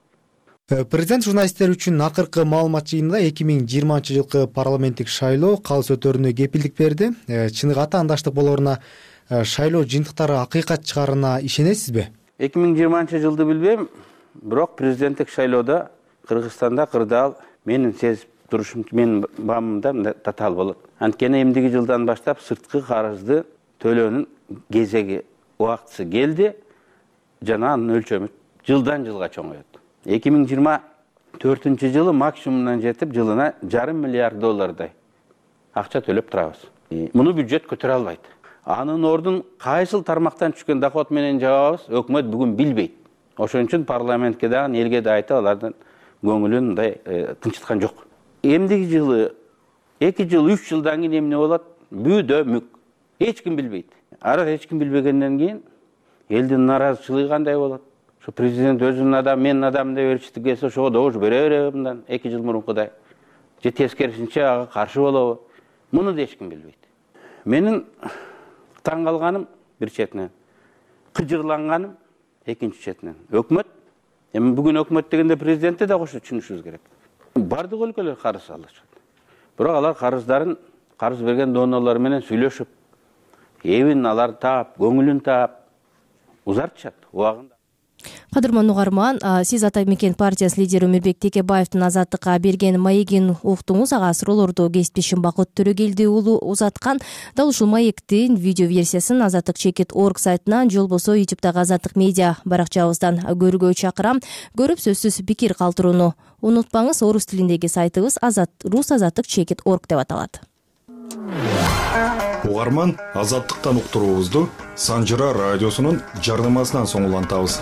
S8: Президент журналисттер үчүн акыркы маалымат жыйынында эки миң жыйырманчы жылкы парламенттик шайлоо калыс өтөрүнө кепилдик берди. Чыныгы атаандаштык болоруна, шайлоо жыйынтыктары акыйкат чыгаарына ишенесизби?
S3: эки миң жыйырманчы жылды билбейм, бирок президенттик шайлоодо Кыргызстанда кырдаал менин сезип турушум, менин баамымда татаал болот. Анткени эмдиги жылдан баштап сырткы карызды төлөөнүн кезеги, убактысы келди, жана анын өлчөмү жылдан жылга чоңоет. эки миң жыйырма төртүнчү жылы максимумдан жетип, жылына жарым миллиард доллардай акча төлөп турабыз. Муну бюджет көтөрө албайт. Анын ордун кайсыл тармактан түшкөн доход менен жабабыз, өкмөт бүгүн билбейт. Ошон үчүн парламентке дагы, элге да айтып, алардын көңүлүн мындай тынчыткан жок. Эмдиги жылы, эки жыл, үч жылдан кийин эмне болот? Бүйдө мүк. Эч ким билбейт. Ара эч ким билбегенден кийин элдин наразычылыгы кандай болот? Ошо президент өзүнүн адам, менин адам деп беришти келсе, ошого добуш бере береби мындан эки жыл мурункудай. Же тескерисинче ага каршы болобу? Муну да эч ким билбейт. Менин таң калганым бир четинен, кыжырланганым экинчи четинен. Өкмөт, эми бүгүн өкмөт дегенде президентти да кошо түшүнүшүбүз керек. Бардык өлкөлөр карыз алышат. Бирок алар карыздарын карыз берген донорлор менен сүйлөшүп, эбин алар таап, көңүлүн таап узартышат убагында.
S1: Кадырман угарман, сиз Атамекен партиясы лидери Өмүрбек Текебаевдин Азаттыкка берген маегин уктуңуз. Ага суроолорду кесиптешим Бакыт Төрөгелди уулу узаткан. Дал ушул маектин видео версиясын азаттык чекит точка орг сайтынан же болбосо ютубтагы Азаттык медиа баракчабыздан көрүүгө чакырам. Көрүп сөзсүз пикир калтырууну унутпаңыз. Орус тилиндеги сайтыбыз азат рус азаттык чекит точка орг деп аталат.
S13: Угарман, Азаттыктан уктуруубузду Санжыра радиосунун жардамасынан соң улантабыз.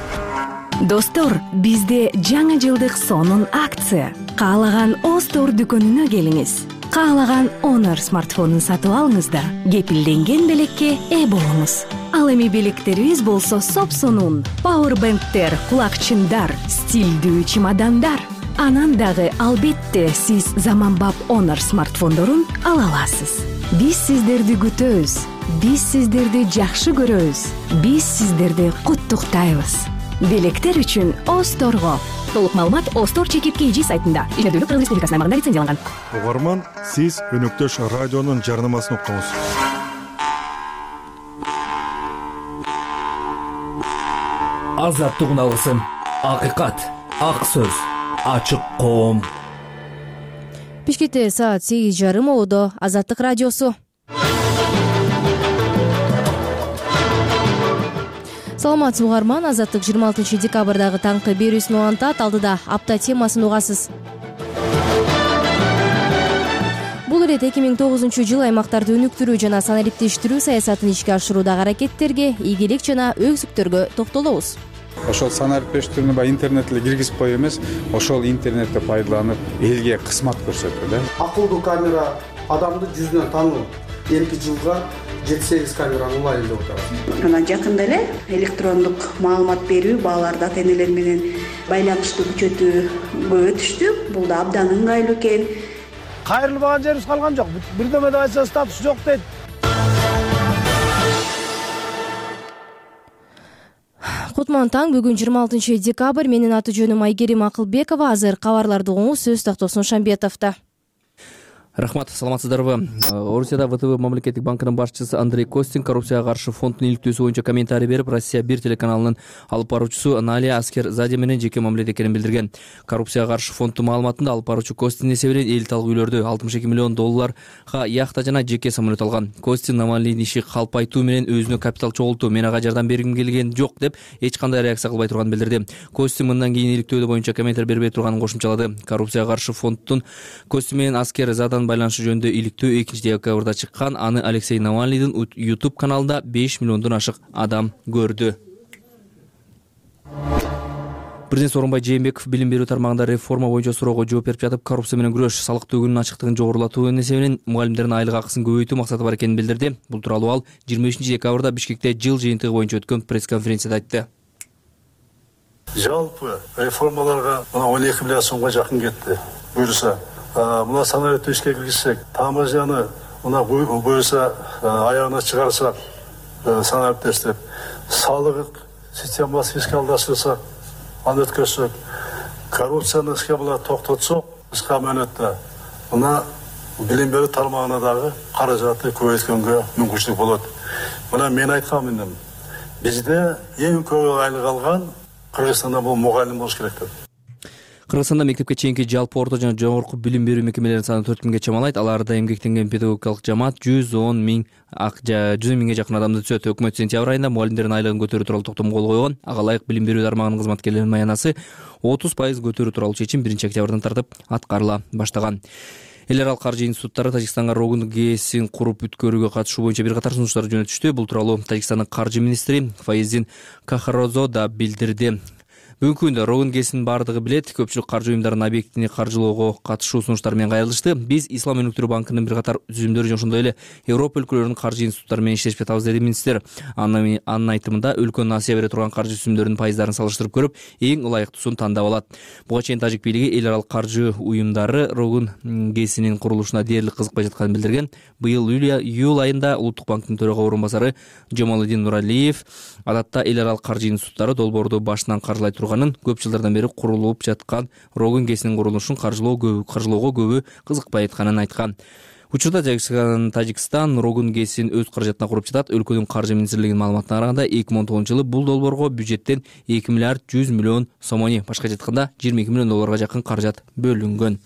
S14: Достор, бизде жаңы жылдык сонун акция. Каалаган Остор дүкөнүнө келиңиз. Каалаган Honor смартфонун сатып алыңыз да кепилденген белекке ээ болуңуз. Ал эми белектерибиз болсо сопсонун, пауэрбэнктер, кулакчындар, стилдүү чемодандар. Анан дагы албетте сиз заманбап Honor смартфондорун ала аласыз. Биз сиздерди күтөбүз. Биз сиздерди жакшы көрөбүз. Биз сиздерди куттуктайбыз. Белектер үчүн Осторго. Толук маалымат Остор чекит кей жи сайтында. Ишмердүүлүк Кыргыз Республикасынын аймагында лицензияланган.
S13: Угарман, сиз өнөктөш радионун жарнамасын уктуңуз.
S12: Азаттык алгысын. Акыйкат, ак сөз, ачык коом.
S1: Бишкекте саат сегиз жарым ободо Азаттык радиосу. Саламатсызбы угарман, Азаттык жыйырма алтынчы декабрдагы таңкы берүүсүн улантат. Алдыда апта темасын угасыз. Бул ирет эки миң тогузунчу жыл аймактарды өнүктүрүү жана санариптештирүү саясатын ишке ашыруудагы аракеттерге, ийгилик жана өксүктөргө токтолобуз.
S15: Ошол санариптештирүүнү баягы интернет эле киргизип коюп эмес, ошол интернетти пайдаланып элге кызмат көрсөтүү да.
S16: Акылдуу камера адамды жүзүнөн таануу. Эки жылга жети сегиз камераны улайын деп атабыз.
S17: Анан жакында эле электрондук маалымат берүү, балаларды ата-энелер менен байланышты күчөтүү көбө түштү. Бул да абдан ыңгайлуу экен.
S18: Кайрылбаган жерибиз калган жок. Бирдемеде айтса статус жок дейт.
S1: Кутман таң, бүгүн жыйырма алтынчы декабрь. Менин аты жөнүм Айгерим Акылбекова. Азыр кабарларды угуңуз, сөз тактоосун Шамбетовдо.
S4: Рахмат, саламатсыздарбы? Орусияда ВТБ мамлекеттик банкынын башчысы Андрей Костин коррупцияга каршы фонддун иликтөөсү боюнча комментарий берип, Россия бир телеканалынын алып баруучусу Налия Аскерзаде менен жеке мамиледе экенин билдирген. Коррупцияга каршы фонддун маалыматында алып баруучу Костин эсебинен элиталык үйлөрдү алтымыш эки миллион долларга яхта жана жеке самолет алган. Костин Навальныйдын иши калпайтуу менен өзүнө капитал чогултуу, мен ага жардам бергим келген жок деп эч кандай реакция кылбай турганын билдирди. Костин мындан кийин иликтөө боюнча комментарий бербей турганын кошумчалады. Коррупцияга каршы фонддун Костин менен Аскерзадан байланышы жөнүндө иликтөө экинчи декабрда чыккан. Аны Алексей Навальныйдын YouTube каналында беш миллиондон ашык адам көрдү. Президент Сооронбай Жээнбеков билим берүү тармагында реформа боюнча суроого жооп берип жатып, коррупция менен күрөш, салык төгүүнүн ачыктыгын жогорулатуу эсебинен мугалимдердин айлык акысын көбөйтүү максаты бар экенин билдирди. Бул тууралуу ал жыйырма бешинчи декабрда Бишкекте жыл жыйынтыгы боюнча өткөн пресс-конференцияда айтты.
S10: Жалпы реформаларга он эки миллиард сомго жакын кетти. Буюрса, мына санариптөө ишке киргизсек, таможняны мына буюрса аягына чыгарсак, санариптештирип, салык системасын фискалдаштырсак, аны өткөрсөк, коррупцияны ишке була токтотсок, кыска мөөнөттө мына билим берүү тармагына дагы каражатты көбөйткөнгө мүмкүнчүлүк болот. Мына мен айткан мындым, бизде эң көп айлык алган Кыргызстанда бул мугалим болуш керек деп.
S4: Кыргызстанда мектепке чейинки жалпы орто жана жогорку билим берүү мекемелеринин саны төрт миңге чамалайт. Аларда эмгектенген педагогикалык жамаат жүз он миң жүз он миңге жакын адамды түзөт. Өкмөт сентябрь айында мугалимдердин айлыгын көтөрүү тууралуу токтом кол койгон. Ага ылайык билим берүү тармагынын кызматкерлеринин маянасы отуз пайыз көтөрүү тууралуу чечим биринчи октябрдан тартып аткарыла баштаган. Эл аралык каржы институттары Тажикстанга Рогун ГЭСин куруп бүткөрүүгө катышуу боюнча бир катар сунуштар жөнөтүштү. Бул тууралуу Тажикстандын каржы министри Фаиздин Кахарозо да билдирди. Бүгүнкү күндө Рогун ГЭСин бардыгы билет. Көпчүлүк каржы уюмдарынын объектини каржылоого катышуу сунуштары менен кайрылышты. Биз Ислам өнүктүрүү банкынын бир катар түзүмдөрү жана ошондой эле Европа өлкөлөрүнүн каржы институттары менен иштешип жатабыз, деди министр. Анын айтымында өлкөнүн Асия бере турган каржы түзүмдөрүнүн пайыздарын салыштырып көрүп, эң ылайыктуусун тандап алат. Буга чейин тажик бийлиги эл аралык каржы уюмдары Рогун ГЭСинин курулушуна дээрлик кызыкпай жатканын билдирген. Быйыл июль айында Улуттук банктын төрага орун басары Жамалыдин Нуралиев адатта эл аралык каржы институттары долбоорду башынан каржылай турганын, көп жылдардан бери курулуп жаткан Рогун ГЭСинин курулушун каржылоого көбү кызыкпай атканын айткан. Учурда Тажикстан Рогун ГЭСин өз каражатына куруп жатат. Өлкөнүн каржы министрлигинин маалыматына караганда эки миң он тогузунчу жылы бул долбоорго бюджеттен эки миллиард жүз миллион сомони, башка айтканда жыйырма эки миллион долларга жакын каражат бөлүнгөн.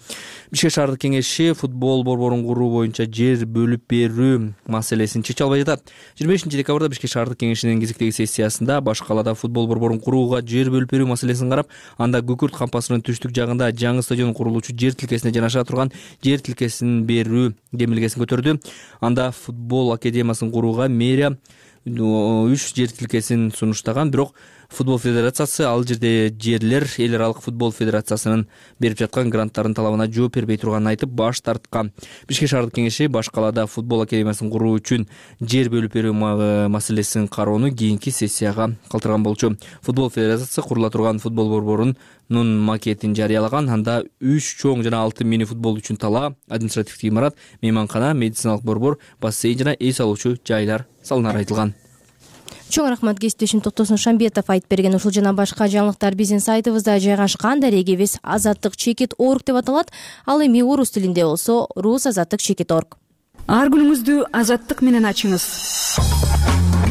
S4: Бишкек шаардык кеңеши футбол борборун куруу боюнча жер бөлүп берүү маселесин чече албай жатат. жыйырма бешинчи декабрда Бишкек шаардык кеңешинин кезектеги сессиясында баш калаада футбол борборун курууга жер бөлүп берүү маселесин карап, анда Күкүрт кампасынын түштүк жагында жаңы стадион курулуучу жер тилкесине жанаша турган жер тилкесин берүү демилгесин көтөрдү. Анда футбол академиясын курууга мэрия үч жер тилкесин сунуштаган, бирок футбол федерациясы ал жерде жерлер эл аралык футбол федерациясынын берип жаткан гранттардын талабына жооп бербей турганын айтып баш тарткан. Бишкек шаардык кеңеши баш калаада футбол академиясын куруу үчүн жер бөлүп берүү маселесин кароону кийинки сессияга калтырган болчу. Футбол федерациясы курула турган футбол борборунун макетин жарыялаган. Анда үч чоң жана алты мини футбол үчүн тала, административдик имарат, мейманкана, медициналык борбор, бассейн жана эс алуучу жайлар салынары айтылган.
S1: Чоң рахмат кесиптешим Токтосун Шамбетов айтып берген. Ушул жана башка жаңылыктар биздин сайтыбызда жайгашкан. Дарегибиз азаттык чекит орг деп аталат. Ал эми орус тилинде болсо рус азаттык чекит орг.
S14: Ар күнүңүздү азаттык менен ачыңыз.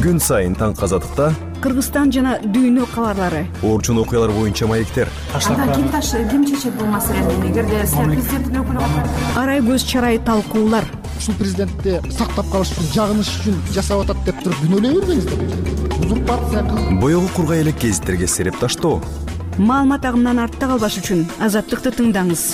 S19: Күн сайын таңкы азаттыкта
S14: Кыргызстан жана дүйнө кабарлары,
S19: орчун окуялар боюнча маектер.
S14: Анда ким ташы, ким чечет бул маселени? Эгерде сиз президенттин өкүлү катары арай көз чарай талкуулар.
S20: Ушул президентти сактап калыш үчүн, жагыныш үчүн жасап атат деп туруп күнөөлөй бербеңиздер. Узурпация кылып,
S19: Боёгу кургай элек гезиттерге сереп таштоо.
S14: Маалымат агымынан артта калбаш үчүн азаттыкты тыңдаңыз.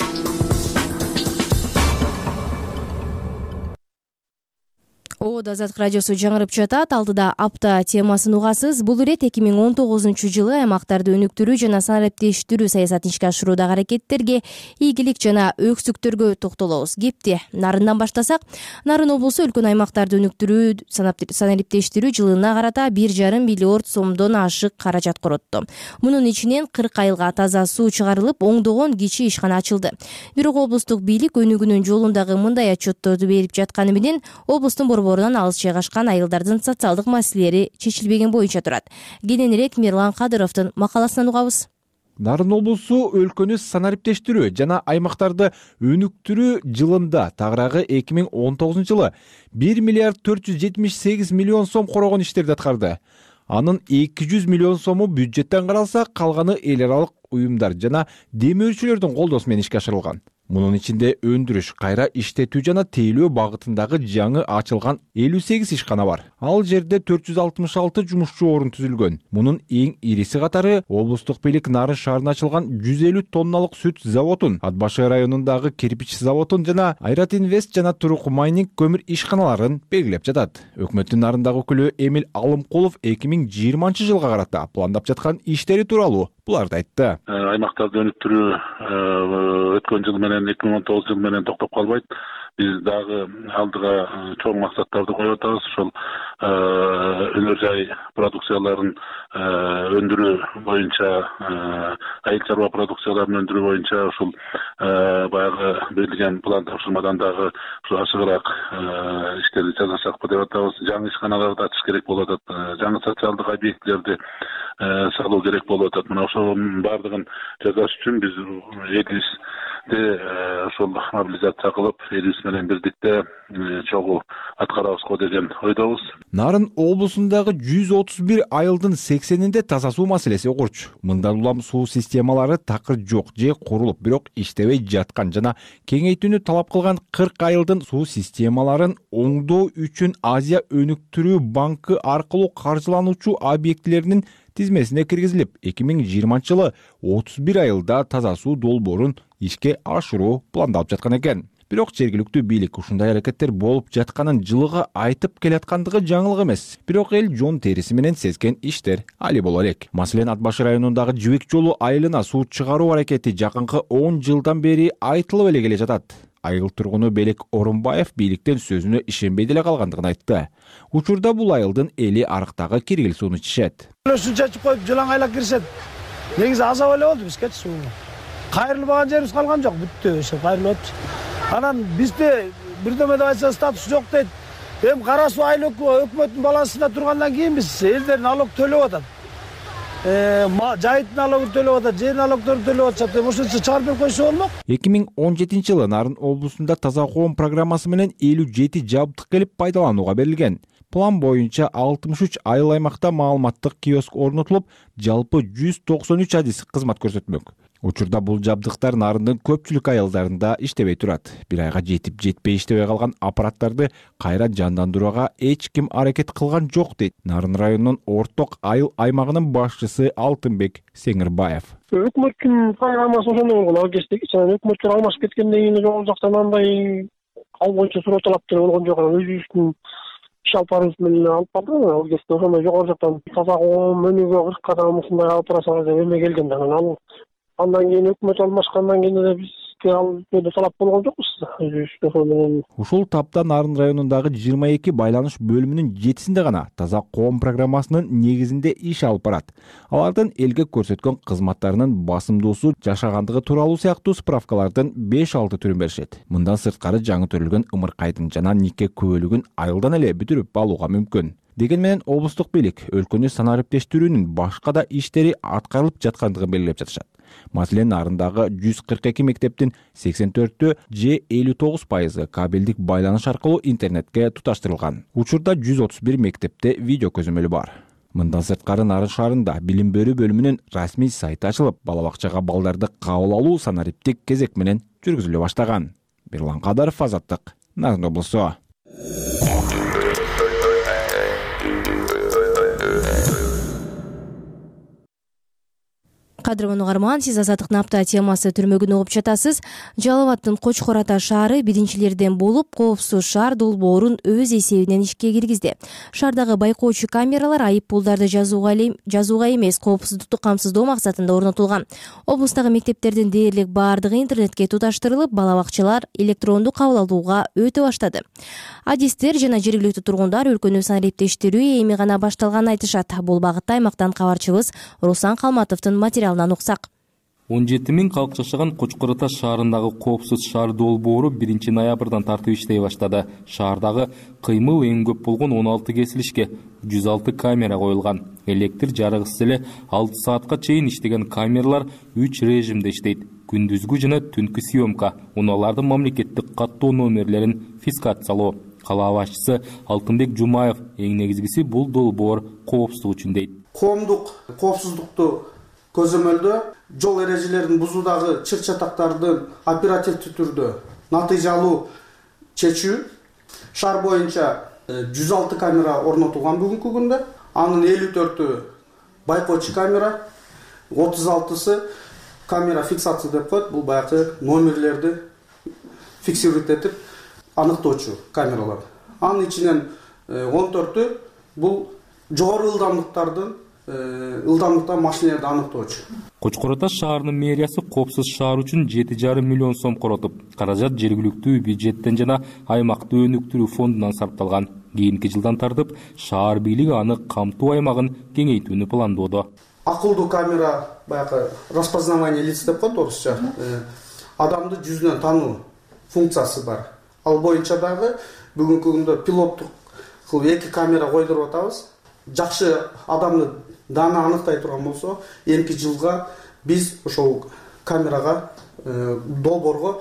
S1: Оод Азаттык радиосу жаңырып жатат. Алдыда апта темасын угасыз. Бул ирет эки миң он тогузунчу жылы аймактарды өнүктүрүү жана санариптештирүү саясатын ишке ашыруудагы аракеттерге, ийгилик жана өксүктөргө токтолобуз. Кепти Нарындан баштасак, Нарын облусу өлкөн аймактарды өнүктүрүү, санариптештирүү жылына карата бир жарым миллиард сомдон ашык каражат коротту. Мунун ичинен кырк айылга таза суу чыгарылып, оңдогон кичи ишкана ачылды. Бирок облустук бийлик өнүгүүнүн жолундагы мындай отчетторду берип жатканы менен облустун борборунан алыс жайгашкан айылдардын социалдык маселелери чечилбеген боюнча турат. Кененирээк Мирлан Кадыровдун макаласынан угабыз.
S21: Нарын облусу өлкөнү санариптештирүү жана аймактарды өнүктүрүү жылында тагыраагы эки миң он тогузунчу жылы бир миллиард төрт жүз жетимиш сегиз миллион сом корогон иштерди аткарды. Анын эки жүз миллион сому бюджеттен каралса, калганы эл аралык уюмдар жана демөөрчүлөрдүн колдоосу менен ишке ашырылган. Мунун ичинде өндүрүш, кайра иштетүү жана тейлөө багытындагы жаңы ачылган элүү сегиз ишкана бар. Ал жерде төрт жүз алтымыш алты жумушчу орун түзүлгөн. Мунун эң ириси катары облустук бийлик Нарын шаарына ачылган жүз элүү тонналык сүт заводун, Ат башы районундагы кирпич заводун жана Айрат Инвест жана Турук майнинг көмүр ишканаларын белгилеп жатат. Өкмөттүн Нарындагы өкүлү Эмил Алымкулов эки миң жыйырманчы жылга карата пландап жаткан иштери тууралуу буларды айтты.
S22: Аймактарды өнүктүрүү өткөн жыл менен эки миң он тогуз жыл менен токтоп калбайт. Биз дагы алдыга чоң максаттарды коюп атабыз. Ошол өнөр жай продукцияларын өндүрүү боюнча, айыл чарба продукцияларын өндүрүү боюнча ушул баягы берилген план тапшырмадан дагы ашыгыраак иштерди жасасакпы деп атабыз. Жаңы ишканаларды ачыш керек болуп атат. Жаңы социалдык объектилерди салуу керек болуп атат. Мына ошонун баардыгын жасаш үчүн биз элибизде ошол мобилизация кылып, элибиз менен бирдикте чогуу аткарабызго деген ойдобуз.
S21: Нарын облусундагы жүз отуз бир айылдын сексенинде таза суу маселеси огурч. Мындан улам суу системалары такыр жок же курулуп, бирок иштебей жаткан жана кеңейтүүнү талап кылган кырк айылдын суу системаларын оңдоо үчүн Азия өнүктүрүү банкы аркылуу каржылануучу объектилеринин тизмесине киргизилип, эки миң жыйырманчы жылы отуз бир айылда таза суу долбоорун ишке ашыруу пландалып жаткан экен. Бирок жергиликтүү бийлик ушундай аракеттер болуп жатканын жылыга айтып келаткандыгы жаңылык эмес. Бирок эл жон териси менен сезген иштер али боло элек. Маселен, Ат башы районундагы Жибек жолу айылына суу чыгаруу аракети жакынкы он жылдан бери айтылып эле келе жатат. Айыл тургуну Белек Орунбаев бийликтен сөзүнө ишенбей деле калгандыгын айтты. Учурда бул айылдын эли арыктагы киргил сууну ичишет.
S18: Суу чачып коюп жылаң айлап киришет. Негизи азап эле болду бизге суу. Кайрылбаган жерибиз калган жок, бүттү, ошо кайрылып атчы. Анан бизде бирдеме деп айтса статус жок дейт. Эми кара суу айыл өкмөттүн балансында тургандан кийин биз элдер налог төлөп атат. Э, жайыт налогун төлөп атат, жер налогдорун төлөп атышат. Ошончо чыгарып берип койсо болмок.
S21: эки миң он жетинчи жылы Нарын облусунда таза коом программасы менен элүү жети жабдык келип пайдаланууга берилген. План боюнча алтымыш үч айыл аймакта маалыматтык киоск орнотулуп, жалпы жүз токсон үч адис кызмат көрсөтмөк. Учурда бул жабдыктар Нарындын көпчүлүк айылдарында иштебей турат. Бир айга жетип жетпей иштебей калган аппараттарды кайра жандандырууга эч ким аракет кылган жок дейт Нарын районунун орток айыл аймагынын башчысы Алтынбек Сеңирбаев.
S23: Өкмөттүн программасы ошондой болгон, ал кездеги өкмөттөр алмашып кеткенден кийин жогору жактан андай ал боюнча суроо талаптар болгон жок. Өзүбүздүн иш алып барыбыз менен алып барды. Ал кезде ошондой жогору жактан таза коом өнүгүү кырк кадам ушундай алып барасыңар деп эме келген да. Ал андан кийин өкмөт алмашкандан кийин эле бизге ал жөнүндө талап болгон жокпуз.
S21: Ушул тапта Нарын районундагы жыйырма эки байланыш бөлүмүнүн жетисинде гана таза коом программасынын негизинде иш алып барат. Алардын элге көрсөткөн кызматтарынын басымдуусу жашагандыгы тууралуу сыяктуу справкалардын беш алты түрүн беришет. Мындан сырткары жаңы төрөлгөн ымыркайдын жана нике күбөлүгүн айылдан эле бүтүрүп алууга мүмкүн. Деген менен облустук бийлик өлкөнү санариптештирүүнүн башка да иштери аткарылып жаткандыгын белгилеп жатышат. Маселен, нарындагы жүз кырк эки мектептин сексен төртү же элүү тогуз пайызы кабелдик байланыш аркылуу интернетке туташтырылган. Учурда жүз отуз бир мектепте видео көзөмөлү бар. Мындан сырткары Нарын шаарында билим берүү бөлүмүнүн расмий сайты ачылып, бала бакчага балдарды кабыл алуу санариптик кезек менен жүргүзүлө баштаган. Бирлан Кадаров, Азаттык, Нарын облусу.
S1: Кадырман угарман, сиз Азаттыктын апта темасы түрмөгүн угуп жатасыз. Жалал Абадтын Кочкор Ата шаары биринчилерден болуп, коопсуз шаар долбоорун өз эсебинен ишке киргизди. Шаардагы байкоочу камералар айып пулдарды жазууга жазууга эмес, коопсуздукту камсыздоо максатында орнотулган. Облустагы мектептердин дээрлик баардыгы интернетке туташтырылып, бала бакчалар электрондук кабыл алууга өтө баштады. Адистер жана жергиликтүү тургундар өлкөнү санариптештирүү эми гана башталганын айтышат. Бул багытта аймактан кабарчыбыз Руслан Калматовдун материалынан уксак.
S2: он жети миң калк жашаган Кочкор Ата шаарындагы коопсуз шаар долбоору биринчи ноябрдан тартып иштей баштады. Шаардагы кыймыл эң көп болгон он алты кесилишке жүз алты камера коюлган. Электр жарыгысыз эле алты саатка чейин иштеген камералар үч режимде иштейт. Күндүзгү жана түнкү съемка, унаалардын мамлекеттик каттоо номерлерин фискациялоо. Кала башчысы Алтынбек Жумаев эң негизгиси бул долбоор коопсуздук үчүн дейт.
S16: Коомдук коопсуздукту көзөмөлдөө жол эрежелерин бузуудагы чыр-чатактарды оперативдүү түрдө натыйжалуу чечүү. Шаар боюнча жүз алты камера орнотулган бүгүнкү күндө. Анын элүү төртү байкоочу камера, отуз алтысы камера фиксация деп коет. Бул баягы номерлерди фиксировать этип аныктоочу камералар. Анын ичинен он төртү бул жогору ылдамдыктардын ылдамдыкта машиналерди аныктоочу.
S2: Кочкор Ата шаарынын мэриясы коопсуз шаар үчүн жети жарым миллион сом коротуп, каражат жергиликтүү бюджеттен жана аймакты өнүктүрүү фондунан сарпталган. Кийинки жылдан тартып шаар бийлиги аны камтуу аймагын кеңейтүүнү пландоодо.
S16: Акылдуу камера баягы распознавание лиц деп коет орусча. Адамды жүзүнөн тануу функциясы бар. Ал боюнча дагы бүгүнкү күндө пилоттук кылып эки камера койдуруп атабыз. Жакшы адамды даана аныктай турган болсо, эмки жылга биз ошол камерага долбоорго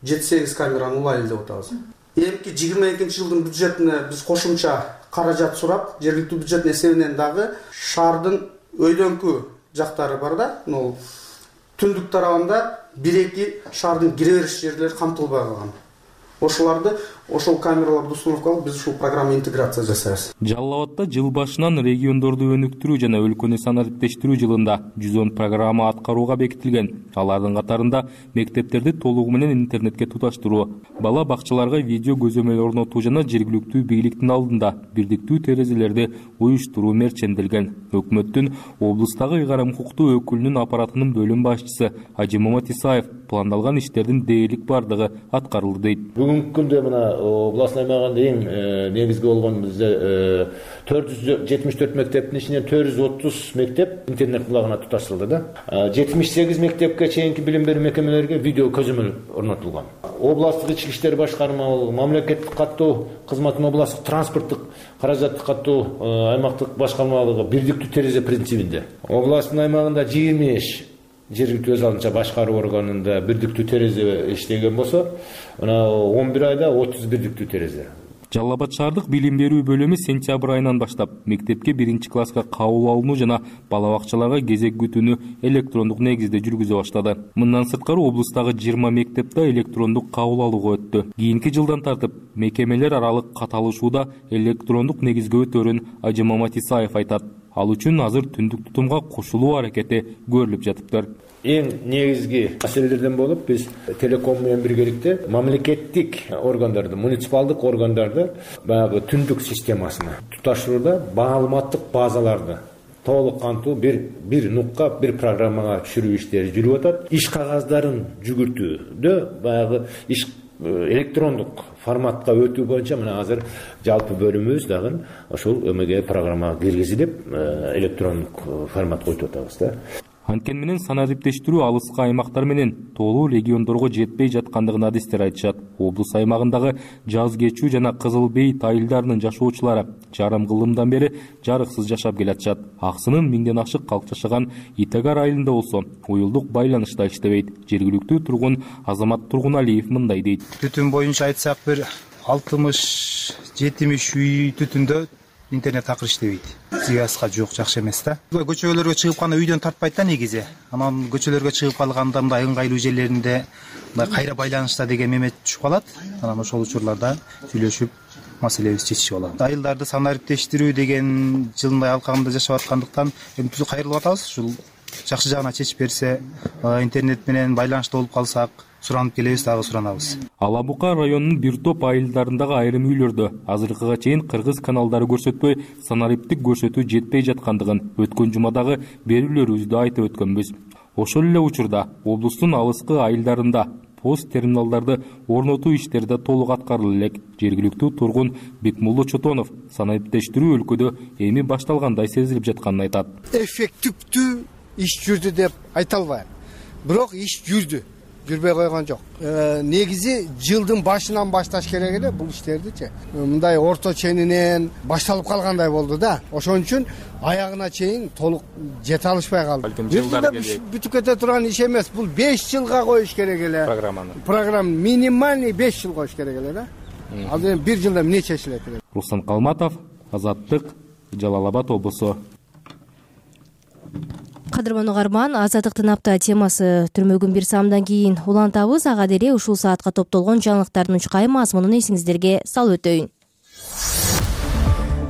S16: жети сегиз камераны улайлы деп атабыз. Эмки жыйырма экинчи жылдын бюджетине биз кошумча каражат сурап, жергиликтүү бюджеттин эсебинен дагы шаардын өйдөңкү жактары бар да, могу түндүк тарабында бир эки шаардын кире бериш жерлери камтылбай калган. Ошоларды ошол камераларды установка кылып биз ушул программа интеграция жасайбыз.
S2: Жалал Абадта жыл башынан региондорду өнүктүрүү жана өлкөнү санариптештирүү жылында жүз он программа аткарууга бекитилген. Алардын катарында мектептерди толугу менен интернетке туташтыруу, бала бакчаларга видео көзөмөл орнотуу жана жергиликтүү бийликтин алдында бирдиктүү терезелерди уюштуруу мерченделген. Өкмөттүн облустагы ыйгарым укуктуу өкүлүнүн аппаратынын бөлүм башчысы Ажимамат Исаев пландалган иштердин дээрлик бардыгы аткарылды дейт.
S5: Бүгүнкү күндө мына областный аймагында эң негизги болгон бизде төрт жүз жетимиш төрт мектептин ичинен төрт жүз отуз мектеп интернет булагына туташтырылды да. жетимиш сегиз мектепке чейинки билим берүү мекемелерге видео көзөмөл орнотулган. Областтык ички иштер башкармалыгы, мамлекеттик каттоо кызматынын областтык транспорттук каражатты каттоо аймактык башкармалыгы бирдиктүү терезе принцибинде. Областтын аймагында жыйырма беш жергиликтүү өз алдынча башкаруу органында бирдиктүү терезе иштеген болсо, мына он бир айда отуз бирдиктүү терезе.
S2: Жалал Абад шаардык билим берүү бөлүмү сентябрь айынан баштап мектепке биринчи класска кабыл алууну жана бала бакчаларга кезек күтүүнү электрондук негизде жүргүзө баштады. Мындан сырткары облустагы жыйырма мектепте электрондук кабыл алууга өттү. Кийинки жылдан тартып мекемелер аралык каталышууда электрондук негизге өтөрүн Ажимамат Исаев айтат. Ал үчүн азыр түндүк тутумга кошулуу аракети көрүлүп жатыптыр.
S5: Эң негизги маселелерден болуп биз телеком менен биргеликте мамлекеттик органдарды, муниципалдык органдарды баягы түндүк системасына туташтырууда маалыматтык базаларды толук кантуу бир бир нукка, бир программага түшүрүү иштери жүрүп атат. Иш кагаздарын жүгүртүүдө баягы иш электрондук форматка өтүү боюнча мына азыр жалпы бөлүмүбүз дагы ошол эмеге программага киргизилип электрондук форматка өтүп атабыз да.
S2: Анткени менен санариптештирүү алыскы аймактар менен толуу региондорго жетпей жаткандыгын адистер айтышат. Облус аймагындагы Жаз кечүү жана Кызыл Бейит айылдарынын жашоочулары жарым кылымдан бери жарыксыз жашап келатышат. Аксынын миңден ашык калк жашаган Итагар айылында болсо уюлдук байланыш да иштебейт. Жергиликтүү тургун Азамат Тургуналиев мындай дейт.
S6: Түтүн боюнча айтсак бир алтымыш жетимиш үй түтүндө интернет такыр иштебейт. Связьга жок, жакшы эмес да. Көчөлөргө чыгып кана үйдөн тартпайт да негизи. Анан көчөлөргө чыгып калганда мындай ыңгайлуу жерлеринде мындай кайра байланышта деген мемет түшүп калат. Анан ошол учурларда сүйлөшүп маселебизди чечишип алат. Айылдарды санариптештирүү деген жылындай алкагында жашап аткандыктан эми түзү кайрылып атабыз. Ушул жакшы жагына чечип берсе, интернет менен байланышта болуп калсак, суранып келебиз, дагы суранабыз.
S2: Ала Бука районунун бир топ айылдарындагы айрым үйлөрдө азыркыга чейин кыргыз каналдары көрсөтпөй, санариптик көрсөтүү жетпей жаткандыгын өткөн жумадагы берүүлөрүбүздө айтып өткөнбүз. Ошол эле учурда облустун алыскы айылдарында пост терминалдарды орнотуу иштери да толук аткарыла элек. Жергиликтүү тургун Бекмулла Чотонов санариптештирүү өлкөдө эми башталгандай сезилип жатканын айтат.
S7: Эффективдүү иш жүрдү деп айта албайм. Бирок иш жүрдү. Жүрбөй койгон жок. Негизи жылдын башынан башташ керек эле бул иштердичи. Мындай орто ченинен башталып калгандай болду да. Ошон үчүн аягына чейин толук жете алышпай калды. Бүтүп кете турган иш эмес. Бул беш жылга коюш керек эле.
S2: Программаны.
S7: Программа минимальный беш жыл коюш керек эле да. Ал эми бир жылда эмне чечилет?
S2: Руслан Калматов, Азаттык, Жалал Абад облусу.
S1: Кадырман угарман, Азаттыктын апта темасы түрмөгүн бир саамдан кийин улантабыз. Ага деле ушул саатка топтолгон жаңылыктардын учкай мазмунун эсиңиздерге салып өтөйүн.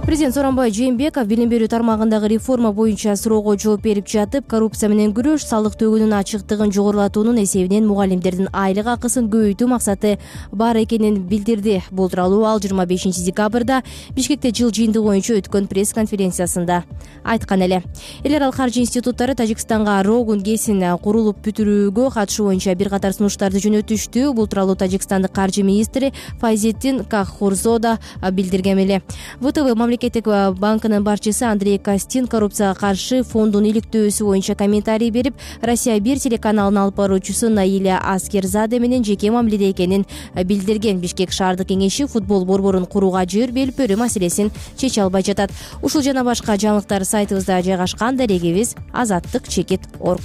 S1: Президент Сооронбай Жээнбеков билим берүү тармагындагы реформа боюнча суроого жооп берип жатып, коррупция менен күрөш, салык төгүүнүн ачыктыгын жогорулатуунун эсебинен мугалимдердин айлык акысын көбөйтүү максаты бар экенин билдирди. Бул тууралуу ал жыйырма бешинчи декабрда Бишкекте жыл жыйындыгы боюнча өткөн пресс-конференциясында айткан эле. Эл аралык каржы институттары Тажикстанга Рогун ГЭСин курулуп бүтүрүүгө катышуу боюнча бир катар сунуштарды жөнөтүштү. Бул тууралуу Тажикстандык каржы министри Файзетдин Каххурзода билдирген эле. ВТБ Мамлекеттик банкынын башчысы Андрей Костин коррупцияга каршы фондун иликтөөсү боюнча комментарий берип, Россия бир телеканалынын алып баруучусу Наиля Аскерзаде менен жеке мамиледе экенин билдирген. Бишкек шаардык кеңеши футбол борборун курууга жер берилпөрү маселесин чече албай жатат. Ушул жана башка жаңылыктар сайтыбызда жайгашкан. Дарегибиз азаттык чекит точка орг.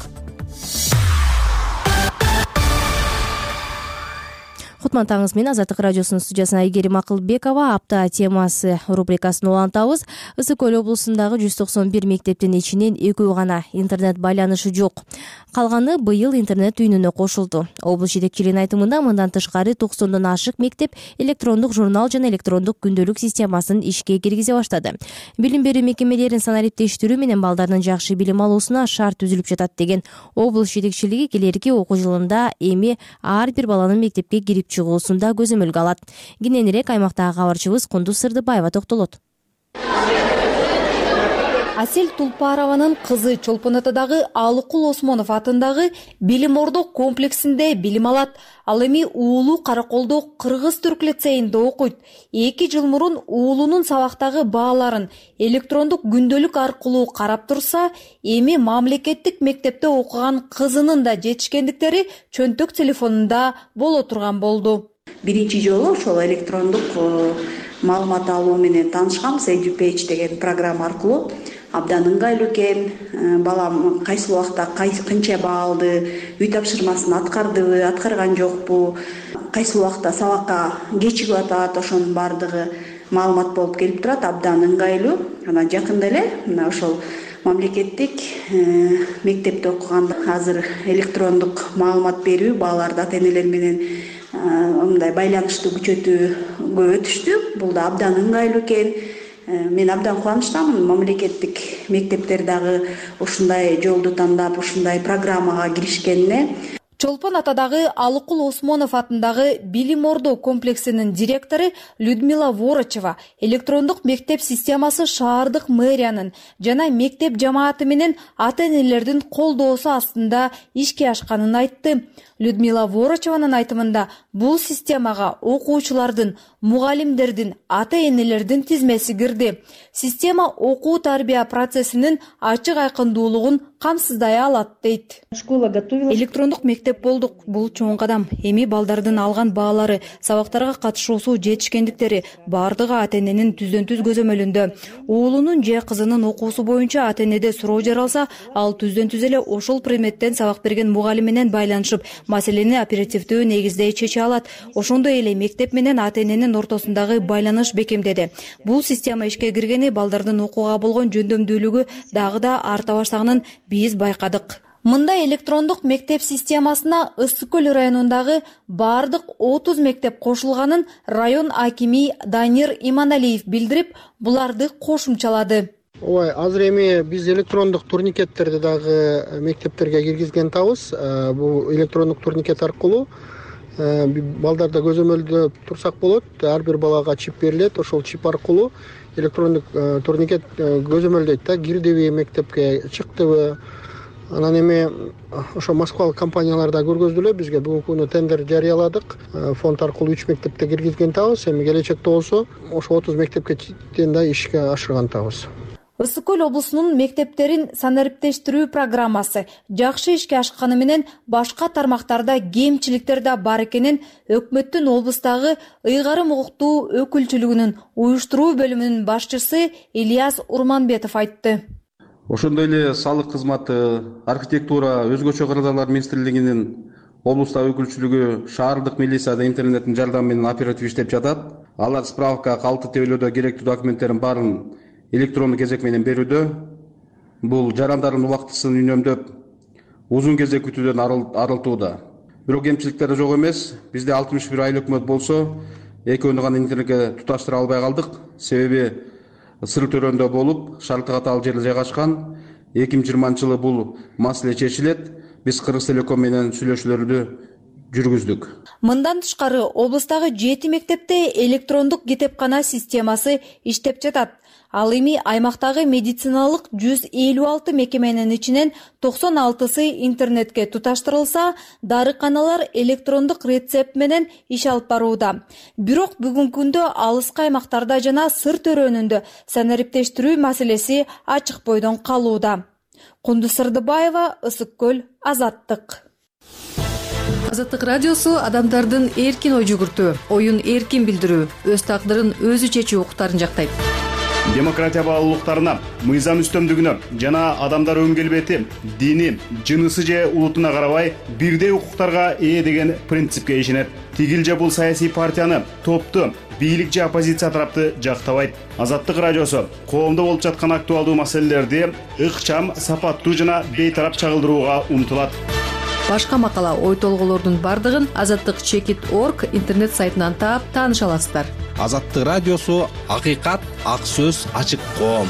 S1: Кутман-таңыз менен Азаттык радиосунун студиясына Айгерим Акылбекова апта темасы рубрикасын улантабыз. Ысык Көл облусундагы жүз токсон бир мектептин ичинен экөө гана интернет байланышы жок. Калганы быйыл интернет үйүнүнө кошулду. Облус жетекчилигинин айтымында мындан тышкары токсондон ашык мектеп электрондук журнал жана электрондук күндөлүк системасын ишке киргизе баштады. Билим берүү мекемелерин санариптештирүү менен балдардын жакшы билим алуусуна шарт түзүлүп жатат деген облус жетекчилиги келерки окуу жылында эми ар бир баланын мектепке кирип чыгуусунда көзөмөлгө алат. Кененирээк аймактагы кабарчыбыз Кундуз Сырдыбаева токтолот.
S9: Асель Тулпарованын кызы Чолпон атадагы Алыкул Осмонов атындагы Билим Ордо комплексинде билим алат. Ал эми уулу Караколдо кыргыз-түрк лицейинде окуйт. Эки жыл мурун уулунун сабактагы бааларын электрондук күндөлүк аркылуу карап турса, эми мамлекеттик мектепте окуган кызынын да жетишкендиктери чөнтөк телефонунда боло турган болду.
S17: Биринчи жолу ошол электрондук маалымат алуу менен таанышканбыз. Edupage деген программа аркылуу абдан ыңгайлуу экен. Балам кайсы убакта канча баа алды, үй тапшырмасын аткардыбы, аткарган жокпу, кайсы убакта сабакка кечигип атат, ошонун баардыгы маалымат болуп келип турат. Абдан ыңгайлуу. Анан жакында эле мына ошол мамлекеттик мектепте окуган азыр электрондук маалымат берүү бааларды ата энелер менен мындай байланышты күчөтүүгө өтүштү. Бул да абдан ыңгайлуу экен. Мен абдан кубанычтамын. Мамлекеттик мектептер дагы ушундай жолду тандап, ушундай программага киришкенине.
S9: Чолпон атадагы Алыкул Осмонов атындагы Билим Ордо комплексинин директору Людмила Ворочева электрондук мектеп системасы шаардык мэриянын жана мектеп жамааты менен ата энелердин колдоосу астында ишке ашканын айтты. Людмила Ворочеванын айтымында бул системага окуучулардын, мугалимдердин, ата энелердин тизмеси кирди. Система окуу тарбия процессинин ачык айкындуулугун камсыздай алат дейт. Электрондук мектеп болдук. Бул чоң кадам. Эми балдардын алган баалары, сабактарга катышуусу, жетишкендиктери баардыгы ата-эненин түздөн түз көзөмөлүндө. Уулунун же кызынын окуусу боюнча ата-энеде суроо жаралса, ал түздөн түз эле ошол предметтен сабак берген мугалим менен байланышып, маселени оперативдүү негизде чече алат. Ошондой эле мектеп менен ата-эненин ортосундагы байланыш бекемдеди. Бул система ишке киргени балдардын окууга болгон жөндөмдүүлүгү дагы да арта баштаганын биз байкадык. Мындай электрондук мектеп системасына Ысык көл районундагы бардык отуз мектеп кошулганын район акими Данир Иманалиев билдирип, буларды кошумчалады.
S20: Ой, азыр эми биз электрондук турникеттерди дагы мектептерге киргизген атабыз. Бул электрондук турникет аркылуу балдарда көзөмөлдө турсак болот. Ар бир балага чип берилет. Ошол чип аркылуу электрондук турникет көзөмөлдөйт да, кирдиби мектепке, чыктыбы. Анан эми ошо Москвалык компанияларда көргөздүлө, бизге бүгүнкү күнү тендер жарыяладык. Фонд аркылуу үч мектепте киргизген атабыз. Эми келечекте болсо ошо отуз мектепке чейин да ишке ашырган атабыз.
S9: Ысык көл облусунун мектептерин санариптештирүү программасы жакшы ишке ашканы менен башка тармактарда кемчиликтер да бар экенин өкмөттүн облустагы ыйгарым укуктуу өкүлчүлүгүнүн уюштуруу бөлүмүнүн башчысы Ильяс Урманбетов айтты.
S3: Ошондой эле салык кызматы, архитектура, өзгөчө кырдаалар министрлигинин облустагы өкүлчүлүгү шаардык милицияда интернеттин жардамы менен оператив иштеп жатат. Алар справка, калты тебелөөдө керектүү документтердин баарын электрондук кезек менен берүүдө. Бул жарандардын убактысын үнөмдөп, узун кезек күтүүдөн арылтууда. Бирок кемчиликтер жок эмес. Бизде алтымыш бир айыл өкмөт болсо, экөөнү гана интернетке туташтыра албай калдык. Себеби Сыр төрөндө болуп, шартка каталуу жерде жайгашкан. эки миң жыйырманчы жылы бул маселе чечилет. Биз Кыргыз Телеком менен сүйлөшүүлөрдү жүргүздүк.
S9: Мындан тышкары облустагы жети мектепте электрондук китепкана системасы иштеп жатат. Ал эми аймактагы медициналык жүз элүү алты мекеменин ичинен токсон алтысы интернетке туташтырылса, дарыканалар электрондук рецепт менен иш алып барууда. Бирок бүгүнкү күндө алыскы аймактарда жана Сыр төрөнүндө санариптештирүү маселеси ачык бойдон калууда. Кундуз Сырдыбаева, Ысык көл, Азаттык.
S8: Азаттык радиосу адамдардын эркин ой жүгүртүү, оюн эркин билдирүү, өз тагдырын өзү чечүү укуктарын жактайт.
S11: Демократия баалуулуктарына, мыйзам үстөмдүгүнө жана адамдар өн келбети, дини, жынысы же улутуна карабай бирдей укуктарга ээ деген принципке ишенет. Тигил же бул саясий партияны, топту, бийлик же оппозиция тарапты жактабайт. Азаттык радиосу коомдо болуп жаткан актуалдуу маселелерди ыкчам, сапаттуу жана бейтарап чагылдырууга умтулат.
S8: Башка макала, ой толгоолордун бардыгын азаттык чекит точка орг интернет сайтынан таап тааныша аласыздар.
S24: Азаттык радиосу акыйкат, ак сөз, ачык коом.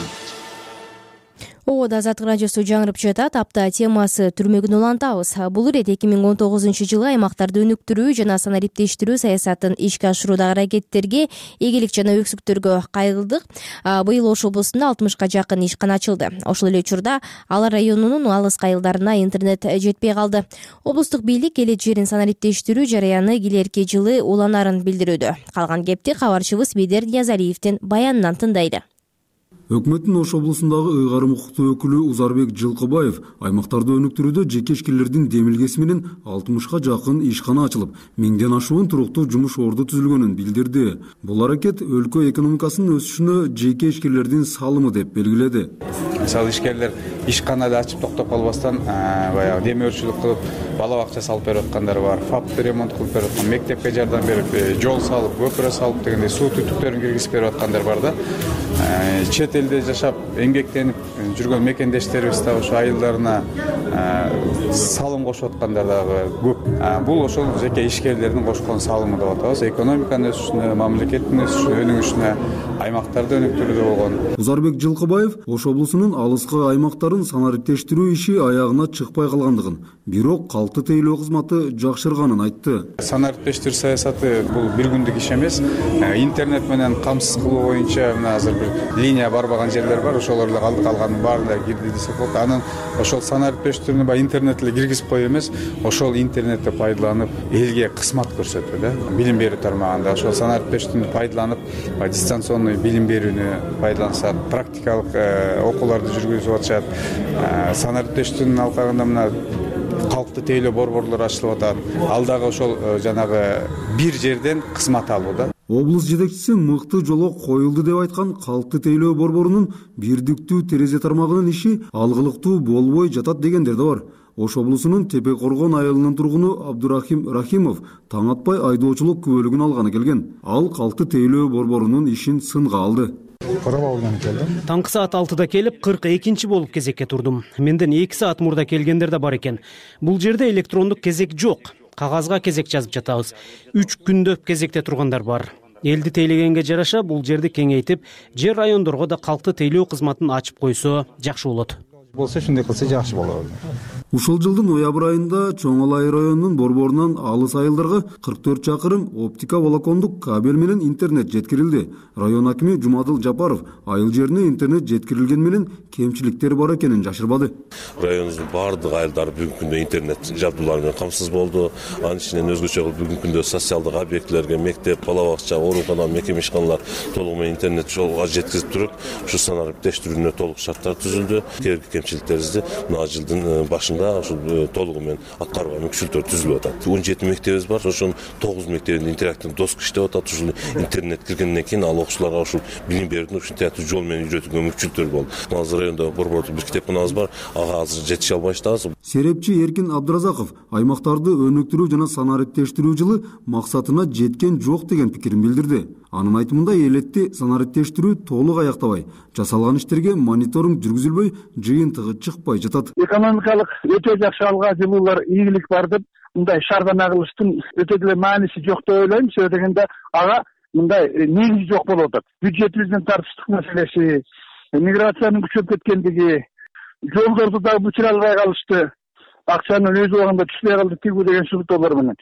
S1: Оода Азаттык радиосу жаңырып жатат. Апта темасы түрмөгүн улантабыз. Бул ирет эки миң он тогузунчу жылы аймактарды өнүктүрүү жана санариптештирүү саясатын ишке ашыруудагы аракеттерге, эгелик жана өксүктөргө кайрылдык. Быйыл Ош облусунда алтымышка жакын ишкана ачылды. Ошол эле учурда Ала районунун алыс айылдарына интернет жетпей калды. Облустук бийлик эле жерин санариптештирүү жараяны келерки жылы уланарын билдирүүдө. Калган кепти кабарчыбыз Бедер Ниязалиевдин баянынан тындайды.
S25: Өкмөттүн Ош облусундагы ыйгарым укуктуу өкүлү Узарбек Жылкыбаев аймактарды өнүктүрүүдө жеке ишкерлердин демилгеси менен алтымышка жакын ишкана ачылып, миңден ашуун туруктуу жумуш орду түзүлгөнүн билдирди. Бул аракет өлкө экономикасынын өсүшүнө жеке ишкерлердин салымы деп белгиледи.
S15: Мисалы ишкерлер ишканады ачып токтоп калбастан баягы демөөрчүлүк кылып, бала бакча салып берип аткандар бар, фапты ремонт кылып берип аткан, мектепке жардам берип, жол салып, көпүрө салып дегендей суу түтүктөрүн киргизип берип аткандар бар да. Чет элде жашап, эмгектенип жүргөн мекендештерибиз да ошо айылдарына салым кошуп аткандар дагы көп. Бул ошол жеке ишкерлердин кошкон салымы деп атабыз. Экономиканын өсүшүнө, мамлекеттин өсүшүнө, өнүгүшүнө, аймактарды өнүктүрүүдө болгон.
S25: Узарбек Жылкыбаев Ош облусунун алыскы аймактарын санариптештирүү иши аягына чыкпай калгандыгын, бирок калты тейлөө кызматы жакшырганын айтты.
S15: Санариптештирүү саясаты бул бир күндүк иш эмес. Интернет менен камсыз кылуу боюнча мына азыр бир линия барбаган жерлер бар, ошолорду калды, калганын баарында кирди десек болот. Анан ошол санариптештирүүнү баягы интернет эле киргизип коюу эмес, ошол интернетти пайдаланып элге кызмат көрсөтүү да. Билим берүү тармагында ошол санариптештирүүнү пайдаланып, дистанционный билим берүүнү пайдалансат, практикалык окууларды жүргүзүп атышат. санариптештүүнүн алкагында мына калкты тейлөө борборлору ачылып атат. Ал дагы ошол жанагы бир жерден кызмат алууда.
S25: Облус жетекчиси мыкты жолго коюлду деп айткан калкты тейлөө борборунун бирдиктүү терезе тармагынын иши алгылыктуу болбой жатат дегендер да бар. Ош облусунун Тепе Коргон айылынын тургуну Абдурахим Рахимов таң атпай айдоочулук күбөлүгүн алганы келген. Ал калкты тейлөө борборунун ишин сынга алды.
S4: Таңкы саат алтыда келип, кырк экинчи болуп кезекке турдум. Менден эки саат мурда келгендер да бар экен. Бул жерде электрондук кезек жок. Кагазга кезек жазып жатабыз. үч күндөп кезекте тургандар бар. Элди тейлегенге жараша бул жерди кеңейтип, жер райондорго да калкты тейлөө кызматын ачып койсо жакшы болот.
S15: Болсо ушундай кылса жакшы болот.
S25: Ушул жылдын ноябрь айында Чоң Алай районунун борборунан алыс айылдарга кырк төрт чакырым оптика волокондук кабель менен интернет жеткирилди. Район акими Жумадыл Жапаров айыл жерине интернет жеткирилген менен кемчиликтер бар экенин жашырбады.
S10: Районубуздун бардык айылдары бүгүнкү күндө интернет жабдуулары менен камсыз болду. Анын ичинен өзгөчө бүгүнкү күндө социалдык объектилерге мектеп, бала бакча, оорукана, мекеме ишканалар толугу менен интернет жолго жеткизип туруп, ушу санариптештирүүнүнө толук шарттар түзүлдү. Керекти кемчиликтерибизди мына жылдын башында ошол толугу менен аткарууга мүмкүнчүлүктөр түзүлүп атат. он жети мектебибиз бар. Ошонун тогуз мектебинде интерактивдүү доска иштеп атат. Ушул интернет киргенден кийин ал окуучуларга ушул билим берүүнү ушинтип жол менен үйрөтүүгө мүмкүнчүлүктөр болду. Азыр райондо борбордук бир китепканабыз бар. Ага азыр жетише албай жатабыз.
S25: Серепчи Эркин Абдыразаков аймактарды өнүктүрүү жана санариптештирүү жылы максатына жеткен жок деген пикирин билдирди. Анын айтымында элетти санариптештирүү толук аяктабай, жасалган иштерге мониторинг жүргүзүлбөй, жыйынтыгы чыкпай жатат.
S23: Экономикалык өтө жакшы алга жылуулар ийгилик бар деп мындай шаардан агылыштын өтө деле мааниси жок деп ойлойм. Себеби дегенде ага мындай негизи жок болуп атат. Бюджетибиздин тартыштык маселеси, миграциянын күчөп кеткендиги, жолдорду дагы бүтүрө албай калышты, акчанын өз убагында түшпөй калды тигүү деген шылтоолор менен.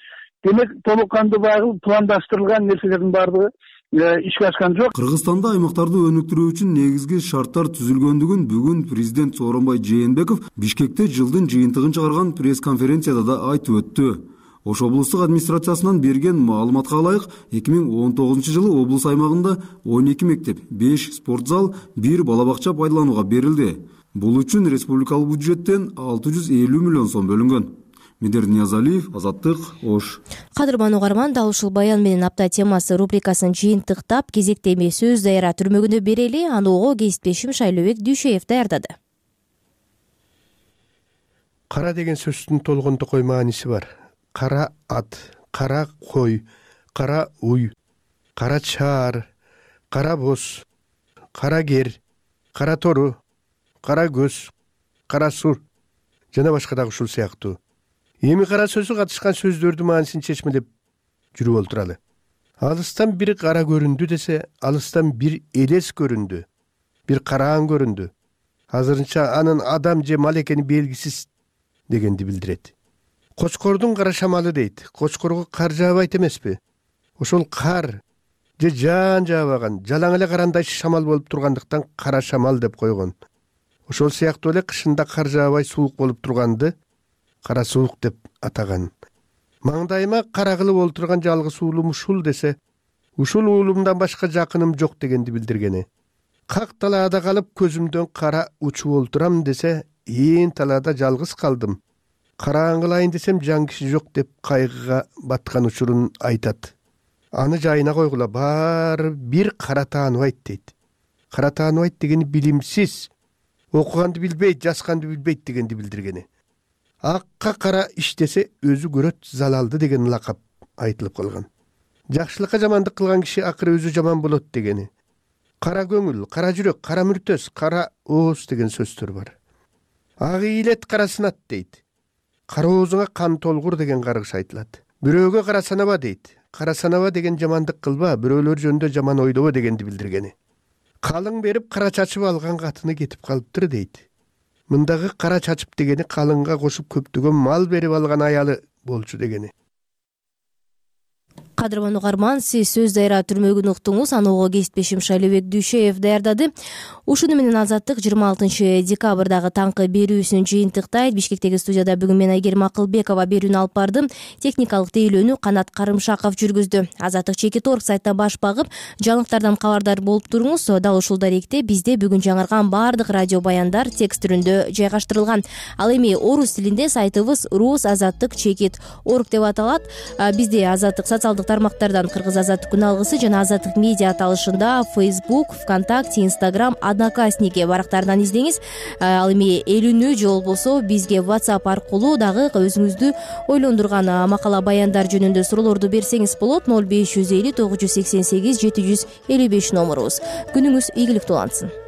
S23: Демек толук кандуу багыл пландаштырылган нерселердин баардыгы ишке ашкан жок.
S25: Кыргызстанда аймактарды өнүктүрүү үчүн негизги шарттар түзүлгөндүгүн бүгүн президент Сооронбай Жээнбеков Бишкекте жылдын жыйынтыгын чыгарган пресс-конференцияда да айтып өттү. Ош облустук администрациясынан берген маалыматка ылайык, эки миң он тогузунчу жылы облус аймагында он эки мектеп, беш спорт зал, бир бала бакча пайдаланууга берилди. Бул үчүн республикалык бюджеттен алты жүз элүү миллион сом бөлүнгөн. Медер Ниязалиев, Азаттык, Ош.
S1: Кадырман угарман, дал ушул баян менен апта темасы рубрикасын жыйынтыктап, кезекте эмес сөз дайра түрмөгүнө берели. Аны ого кесиптешим Шайлообек Дүйшеев даярдады.
S12: Кара деген сөздүн толгондокой мааниси бар. Кара ат, кара кой, кара уй, кара чаар, кара боз, кара кер, кара тору, кара көз, кара сур жана башка дагы ушул сыяктуу. Эми кара сөзү катышкан сөздөрдүн маанисин чечмелеп жүрүп олтуралы. Алыстан бир кара көрүндү десе, алыстан бир элес көрүндү, бир караан көрүндү. Азырынча анын адам же мал экени белгисиз дегенди билдирет. Кочкордун кара шамалы дейт. Кочкорго кар жаабайт эмеспи? Ошол кар же жаан жаабаган, жалаң эле карандай шамал болуп тургандыктан кара шамал деп койгон. Ошол сыяктуу эле кышында кар жаабай суук болуп турганды кара суук деп атаган. Маңдайыма кара кылып олтурган жалгыз уулум ушул десе, ушул уулумдан башка жакыным жок дегенди билдиргени. Как талаада калып көзүмдөн кара учуп олтурам десе, ээн талаада жалгыз калдым. Караан кылайын десем жан киши жок деп кайгыга баткан учурун айтат. Аны жайына койгула, баары бир кара тааныбайт дейт. Кара тааныбайт дегени билимсиз, окуганды билбейт, жазганды билбейт дегенди билдиргени. Акка кара иштесе өзү көрөт залалды деген лакап айтылып калган. Жакшылыкка жамандык кылган киши акыры өзү жаман болот дегени. Кара көңүл, кара жүрөк, кара мүртөс, кара ооз деген сөздөр бар. Ак ийилет кара сынат дейт. Кара оозуңа кан толгур деген каргыш айтылат. Бирөөгө кара санаба дейт. Кара санаба деген жамандык кылба, бирөөлөр жөнүндө жаман ойлобо дегенди билдиргени. Калың берип кара чачып алган катыны кетип калыптыр дейт. Мындагы кара чачып дегени калыңга кошуп көптөгөн мал берип алган аялы болчу дегени.
S1: Кадырман угарман, сиз сөз дайра түрмөгүн уктуңуз. Аного кесиптешим Шайлебек Дүйшеев даярдады. Ушуну менен Азаттык жыйырма алтынчы декабрдагы таңкы берүүсүн жыйынтыктайт. Бишкектеги студияда бүгүн мен Айгерим Акылбекова берүүнү алып бардым. Техникалык тейлөөнү Канат Карымшаков жүргүздү. Азаттык чекит орг сайтына баш багып, жаңылыктардан кабардар болуп туруңуз. Дал ушул даректе бизде бүгүн жаңырган баардык радио баяндар текст түрүндө жайгаштырылган. Ал эми орус тилинде сайтыбыз рус азаттык чекит орг деп аталат. Бизде Азаттык социалдык тармактардан Кыргыз Азаттык күн алгысы жана Азаттык медиа аталышында Facebook, ВКонтакте, Instagram, Одноклассники барактарынан издеңиз. Ал эми элүүнү же болбосо бизге WhatsApp аркылуу дагы өзүңүздү ойлондурган макала баяндар жөнүндө суроолорду берсеңиз болот. ноль беш жүз элүү тогуз жүз сексен сегиз жети жүз элүү беш номерубуз. Күнүңүз ийгиликтүү улансын.